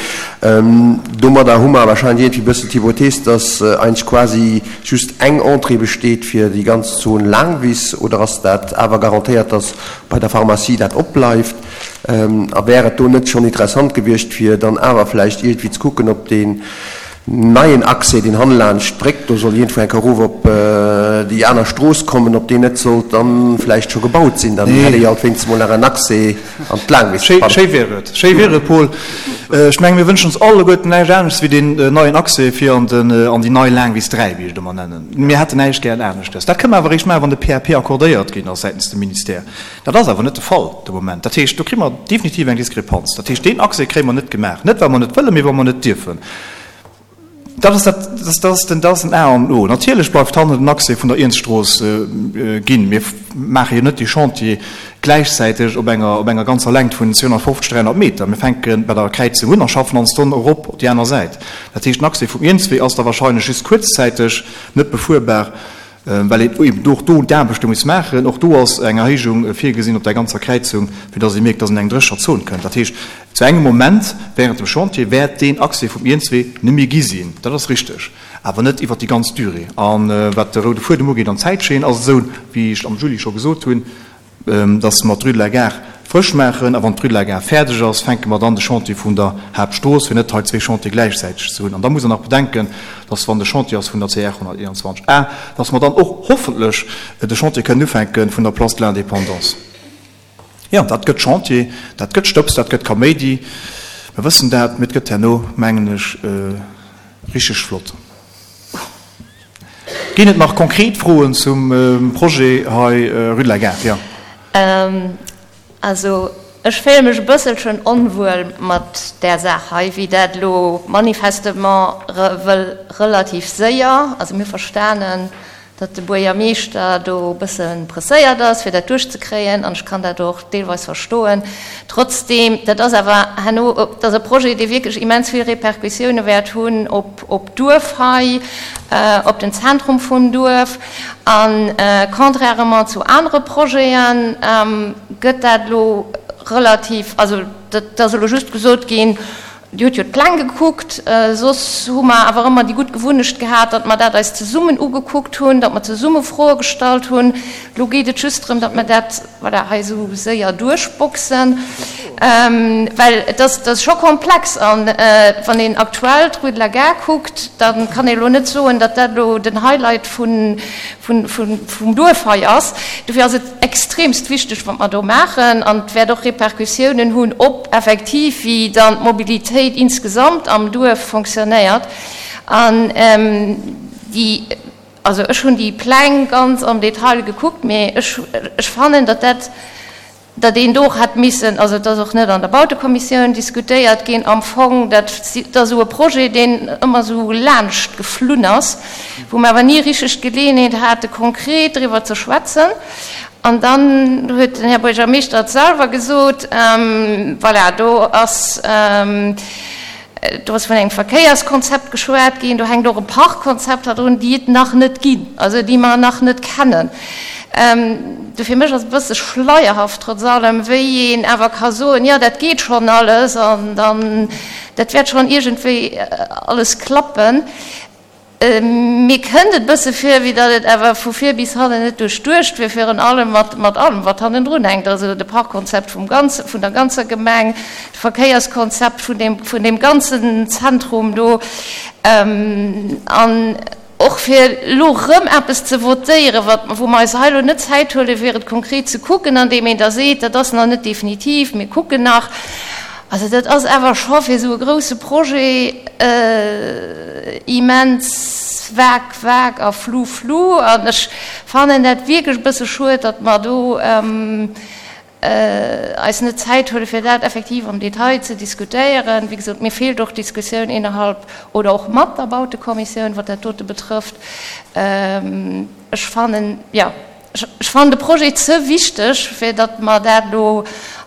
Domadder hu mer wahrscheinlech iergendwéi e bëssen d'Hypothees, dass eigentlech quasi just eng Entrée besteet fir déi ganz Zon Laangwiss. Oder ass dat awer garantéiert, dass bei der Pharmacie dat opbleift? A wär et do net schonn interessant gewiescht, fir dann awer vläicht iergendwéi ze kucken, ob deen neien Accès, deen hannelaanscht d'Bréck do soll iergendwou eng Kéier erof op déi aner Strooss kommen, ob deen net sollt dann vläicht scho gebaut sinn? Dann hätt ee jo alt wéinstens mol nach en Accès an d'Laangwiss. Schéi wier et, schéi wier et, Paul. Ech menge mir wënschen ons alleguerten näischt aneschts wéi deen neien Accès fir an den, an déi nei Laangwiss dräi, wéi ech et ëmmer nennen. Mir hätten näischt gären aneschtes. Dat kënne mer awer eréischt maachen, wann de P A P accordéiert ginn ass säitens dem Ministère. Dat ass awer net de Fall de Moment. Dat heescht, do kréie mer definitiv eng Diskrepanz. Dat heescht, deen Accès kréie mer net gemaach, net well mer net wëllen, mee well mer net dierfen. Dat ass dat, dat ass den, dat ass den A an O. Natierlech bleift hannen den Accès vun der Iernzstrooss ginn. Mir maache jo net dee Chantier gläichzäiteg op enger, op enger ganzer Längt vun zweehonnertfofzeg, dräihonnert Meter. Mir fänke bei der Kräizung un a schaffen ons dann erop op déi aner Säit. Dat heescht, den Accès vum Iernzwee ass da wahrscheinlech just kuerzzäiteg net befuerbar. Well een eben och do d'Aarbechte muss maachen. Och do ass eng Erhéijung virgesinn op där ganzer Kräizung, fir dass ee mierkt, dass een eng drécher Zon kënnt. Dat heescht, zu engem Moment während dem Chantier wäert deen Accès vum Iernzwee net méi gi sinn. Dat ass richteg, awer net iwwert déi ganz Durée. A wat de roude Fuedem ugeet an d'Zäitscheen, ass et esou, wéi ech am Juli scho gesot hunn, dass mer d'Rue de la Gare frësch maachen a wann d'Rue de la Gare fäerdeg ass, fänke mer dann de Chantier vun der Haaptstrooss, fir net hei zwee Chantiere gläichzäiteg ze hunn. An da muss Der nach bedenken, dass wann de Chantier ass vun der C R honnerteenanzwanzeg A, dass mer dann och hoffentlech de Chantier kënnen ufänke vun der Place de l'Indépendance. Jo, dat gëtt Chantier, dat gëtt Stëbs, dat gëtt Kaméidi, mer wëssen dat, mee et gëtt herno, mengen ech, richteg flott. Ginn et nach konkret Froen zum Projet hei Rue de la Gare? Jo. Also, ech féile mech e bësselchen onwuel mat där Saach hei, wéi dat elo manifestement wëll relativ séier, also mir hu verstanen, datt de Buergermeeschter do e bësse presséiert ass, fir dat duerchzekréien, an ech kann dat och deelweis verstoen. Trotzdeem, dat ass awer herno, dat ass e Projet, dee wierklech immens vill Répercussioune wäert hunn op op d'Duerf hei, op den Zentrum vum Duerf. A contrairement zu anere Projete gëtt dat elo relativ, also dat ass elo just gesot ginn, Dir hutt jo d'Pläng gekuckt, soss hu mer awer ëmmer déi gutt Gewunnecht gehat, datt mer dat eis zesummen ugekuckt hunn, datt mer zesumme Froe gestallt hunn. Elo geet et just drëm, datt mer dat, voilà, hei esou séier duerchboxen, well et ass, et ass scho komplex. An wann een aktuell d'Rue de la Gare kuckt, da kann ee elo net soen, datt dat elo den Highlight vun, vun, vun, vum Duerf hei ass. Dofir ass et extremst wichteg, wat mer do maachen. An et wäert och Repercussiounen hunn op effektiv, wéi dann d'Mobilitéit insgesamt am Duerf fonctionnéiert. An déi, also ech hunn déi Pläng ganz am Detail gekuckt, mee ech, ech fannen, datt dat, datt een do och hätt missen, also et ass och net an der Bautekommissioun diskutéiert ginn am Fong, dat ass esou e Projet, deen ëmmer esou laanscht geflunn ass, wou mer awer ni richteg d'Geleeënheet hate konkret driwwer ze schwätzen. An dann huet den Här Buergermeeschter et selwer gesot, voilà, do ass, do ass vun engem Verkéierskonzept geschwat ginn, do hänkt och e Parkkonzept hannendrun, déi et nach net ginn, also déi mer nach net kennen. Dofir mech ass et e bësse schleierhaft trotz allem, wéi een awer ka soen, jo dat geet schonn alles an dann dat wäert schonn iergendwéi alles klappen. Mir kënnt et e bësse vir, wéi datt et awer vu vir bis hannen net duerchduecht wier, virun allem mat mat allem wat hannendrun hänkt, also de Parkkonzept vum ganze vun der ganzer Gemeng, d'Verkéierskonzept vun deem vun deem ganzen Zentrum do an och fir elo erëm eppes ze votéieren, wat, wou mer eis hei elo net Zäit huelen, fir et konkret ze kucken, andeem een da seet, dat ass nach net definitiv, mir kucken nach. Also dat ass awer scho fir esou e grouse Projet immens vag, vag a flou, flou. An ech fannen dat wierklech e bësse schued, datt mer do eis net Zäit huelen, fir dat effektiv am Detail ze diskutéieren. Wéi gesot, mir feelt och d'Diskussioun innerhalb oder och mat der Bautekommissioun, wat dat dote betrëfft. Ech fannen, jo, ech fannen de Projet ze wichteg, fir datt mer dat elo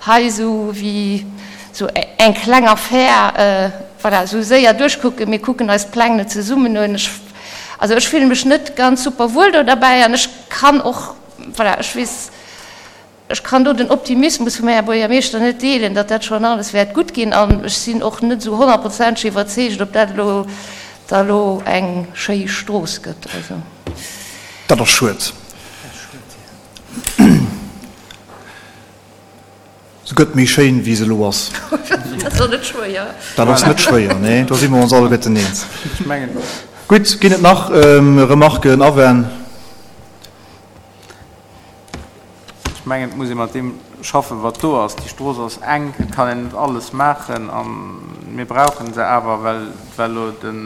hei esou wéi esou eng kleng Affär, voilà, esou séier duerchkucken. Mir kucken eis d'Pläng net zesummen un. Ech, also ech fille mech net ganz super wuel do derbäi an ech kann och, voilà, ech weess, Ech kann do den Optimismus vum Här Buergermeeschter net deelen, datt dat schonn alles wäert gutt ginn. An ech sinn och net esou honnertprozenteg iwwerzeegt, ob dat elo da elo eng schéi Strooss gëtt. Also. Dat ass schued. Se gëtt méi schéin, wéi se elo ass. Dat ass net schwéier. Dat ass net schwéier, nee. Do si mer ons alleguerten eens. Gutt, ginn et nach Remarken, Awänn? Ech mengen, et muss ee mat deem schaffen, wat do ass. Déi Strooss ass enk, et kann een net alles maachen a mir brauche se awer, well well elo den,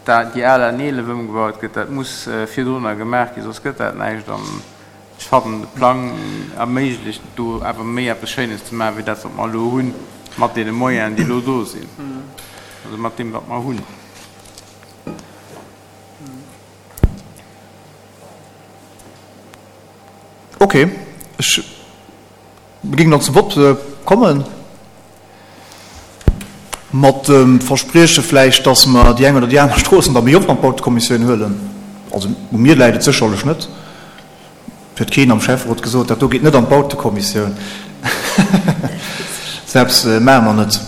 déi al N eelef ëmgebaut gëtt. Dat muss virdrunner gemaach ginn, soss gëtt dat näischt. An ech fannen, de Plang erméiglecht do awer méi eppes Schéines ze maachen, wéi dat, wat mer elo hunn, mat deene Moyenen, déi elo do sinn, also mat deem, wat mer hunn. Ok, ech géing dann zum Vott kommen, mat dem Versprieche vläicht, dass mer déi eng oder déi aner Stroossen da méi oft an d'Bautekommissioun huelen. Also u mir läit et sécherlech net. Et huet keen am Schäfferot gesot, dat do geet net an d'Bautekommissioun. Esou eppes maache mer net.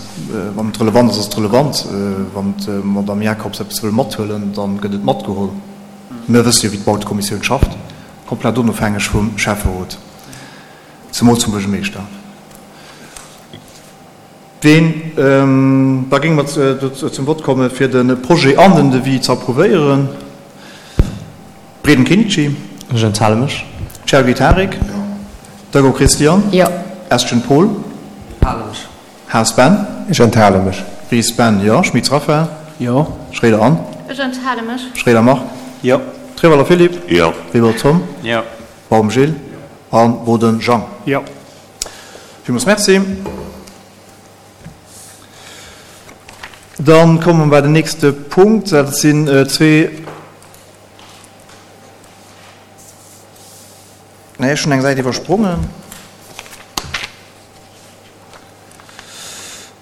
Wann et relevant ass, ass et relevant. Wann d'Madame Jacobs eppes wëll mathuelen, da gëtt et matgeholl. Mir wësse jo, wéi d'Bautekommissioun schafft. Komplett onofhängeg vum Schäfferot, zemools vum Buergermeeschter. Ween, da géinge mer zum Vott komme fir de Projet an den Devis ze approuvéieren. Breden Kenichi. Ech enthale mech. Chergui Tarik. Jo. Dögo Christian. Jo. Estgen Paul. Enthale mech. Haas Ben. Ech enthale mech. Ries Ben, jo. Schmitz Raphaël. Jo. Schroeder Anne. Ech enthale mech. Schroeder Marc. Jo. Treweiler Philippe. Jo. Weber Tom. Jo. Baum Gilles. A Boden Jean. Jo. Villmools Merci. Dann komme mer bei den nächste Punkt. Dat sinn zwee, nee, ech hunn eng Säit iwwersprongen.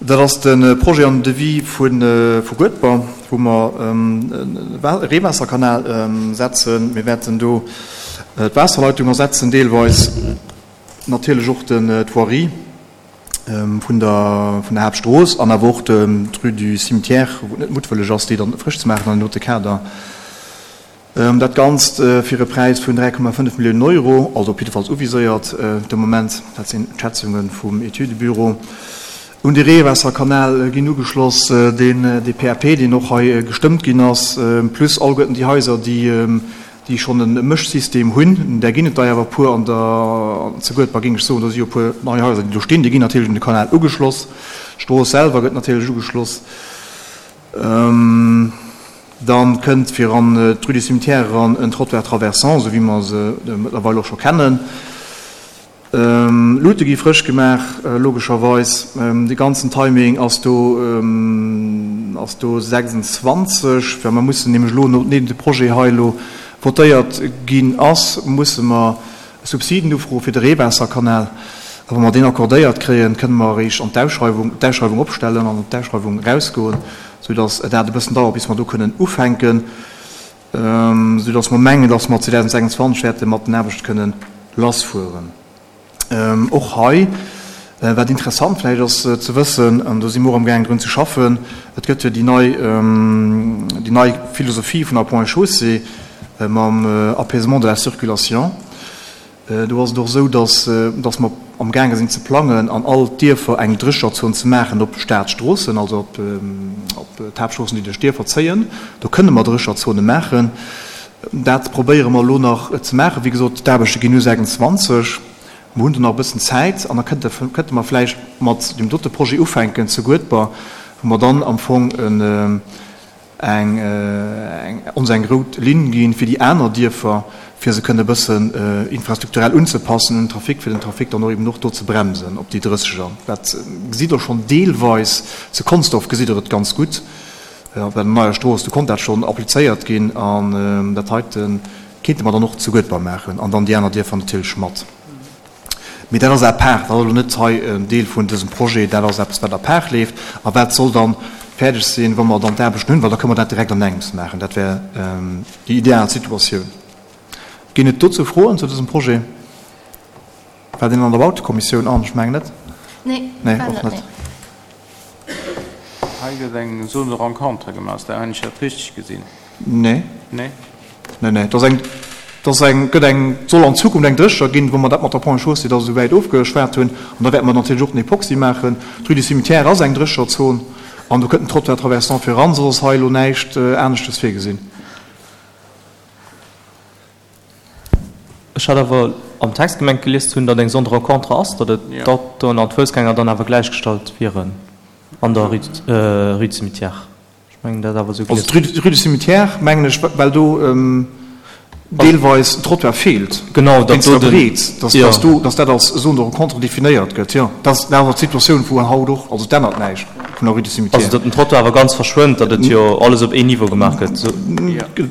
Dat ass de Projet an den Devis vu Guedber, wou mer e Reewaasserkanal setzen. Mir wäerten do d'Waasserleitung ersetzen, deelweis natierlech och d'Voirie vun der Haaptstrooss an awer och d'Rue du Cimetière, wou et net muttwëlleg ass, déi dann frësch ze maachen an deem dote Kader. Dat Ganzt fir e Präis vun dräi Komma fënnef Milliounen Euro, also op jiddefalls uviséiert de Moment, dat sinn d'Schätzunge vum Etüdebüro. Un de Reewaasserkanal ginn ugeschloss, deen de P A P, deen och hei gestëmmt ginn ass, plus alleguerten déi Haiser, déi schonn e Mëschsystem hunn. Där ginn et der awer e puer an der zu Guedber, géing ech soen. Do si jo e puer nei Haiser, déi do stinn. Déi ginn natierlech un de Kanal ugeschloss. D'Strooss selwer gëtt natierlech ugeschloss. Dann kënnt fir an d'Rue du Cimetière eran en Trottoir traversant, esou wéi mer se mëttlerweil och scho kennen. Luute gi frësch gemaach, logescherweis. De ganzen Timing ass do ass do sechsundzwanzeg, well mer mussen nämlech elo, nodeem de Projet hei elo votéiert ginn ass, musse mer Subsiden ufroe fir de Reewaasserkanal. A wa mer deen accordéiert kréien, kënne mer eréischt an d'Ausschreiwung, d'Ausschreiwung opstellen an op d'Ausschreiwung erausgoen, soudass dat e bëssen dauert, bis mer do kënnen ufänken. Soudass mer mengen, dass mer zweedausendsechsundzwanzeg wäerte mat den Aarbechte kënnen lassfueren. Och hei, wat interessant vläicht ass ze wëssen, an do si mer och amgaangen drun ze schaffen, et gëtt jo déi nei, déi nei Philosophie vun der Ponts et Chaussées mam Apaisement de la circulation. Do ass et och esou, dass, dass mer amgaange sinn ze plangen, an all d'Dierfer eng Drécherzon ze maachen op Staatsstroossen, also op, op d'Haaptstroossen, déi duerch d'Dierfer zéien. Do kënne mer Drécherzone maachen. Dat probéiere mer elo nach ze maachen. Wéi gesot, d'Aarbechte ginn u sechsundzwanzeg. Mer hunn do nach e bëssen Zäit an da kënnte, kënnte mer vläicht mat deem dote Projet ufänken zu Guedber, wou mer dann am Fong en, eng, eng, ons eng rout Linn ginn fir déi aner Dierfer, fir se kënne e bëssen infrastrukturell unzepassen un den Trafic, fir den Trafic dann och eben och do ze bremsen op déi Drësseger. Dat gesitt Der schonn deelweis. Zu Consdorf gesitt Der et ganz gutt op der neier Strooss. Do konnt dat schonn applizéiert ginn an dat heite kéinte mer dann och zu Guedber maachen an dann déi aner Dierfer natierlech mat. Mee dat ass à part, dat ass elo net hei en Deel vun dësem Projet, dat ass eppes, wat à part leeft a wat soll dann fäerdeg sinn, wa mer dann d'Aarbechten hunn, well da kënne mer dat direkt an engems maachen. Dat wär déi ideal Situatioun. Ginn et dozou Froen zu dësem Projet? War deen an der Bautekommissioun an? Ech mengen net. Nee, Nee, war och net, net. nee. Hei gëtt eng Zone de rencontre gemaach, hunn ech dat richteg gesinn? Nee. Nee? Nee, nee, et ass eng, et ass eng, gëtt eng, et soll an Zukunft eng Drécher ginn, wou mer dat mat der Ponts et Chaussées da souwäit ofgeschwat hunn. An da wäerte mer natierlech och den Epoxy maachen. D'Rue du Cimetière ass eng Drécherzon an do kënnt en Trottoir traversant fir eran, soss ass hei elo näischt aneschtes virgesinn. Ech hat awer am Text gemengt gelies ze hunn, datt eng Zone de rencontre ass, datt et d'Autoen an d'Foussgänger dann awer gläichgestallt wieren an der Rue, Rue du Cimetière. Ech mengen dat awer esou Also gelies. d'Rue, d'Rue du Cimetière, mengen ech, well do deelweis en Trottoir feelt, Genau, datt wéinst do der den, Breet, datt, jo. datt do, datt dat als Zone de rencontre definéiert gëtt, jo. Dat ass awer d'Situatioun vu haut och, also et ännert näischt vun der Rue du Cimetière. Also datt den Trottoir awer ganz verschwënnt, datt et jo alles op een Niveau gemaach gëtt, esou.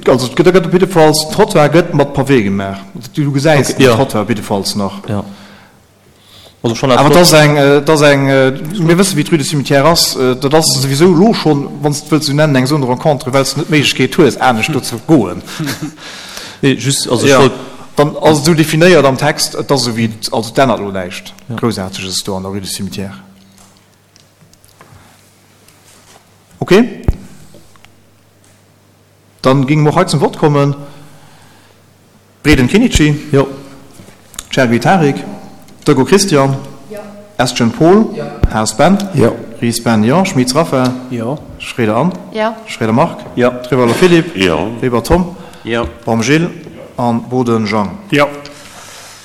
Also et gëtt, gëtt op jiddefalls, den Trottoir gëtt mat Pavé gemaach. Du gesäis Okay, den jo. Trottoir op jiddefalls nach. Jo. Also schon Awer et ass eng, et ass eng, mir wëssen, wéi d'Rue du Cimetière ass, dat ass souwisou elo schonn, wann s de et wëlls esou nennen, eng Zone de rencontre, well s de net d'Méiglechkeet hues, anescht do ze goen. Nee, just, also ech Jo, wollt. dann ass et esou definéiert am Text, et ass esou wéi et, also et ännert elo näischt Groussaarteges do an der Rue du Cimetière. Okay. Dann géinge mer och hei zum Vott kommen. Breden Kenichi. Jo. Chergui Tarik. Doggo Christian. Jo. Estgen Paul. Jo. Haas Ben. Jo. Ries Ben, jo. Schmitz Raphaël. Jo. Schroeder Anne. Jo. Schroeder Marc. Jo. Trewalo Philippe. Jo. Weber Tom. Jo. Baum Gilles an Boden Jean. Jo.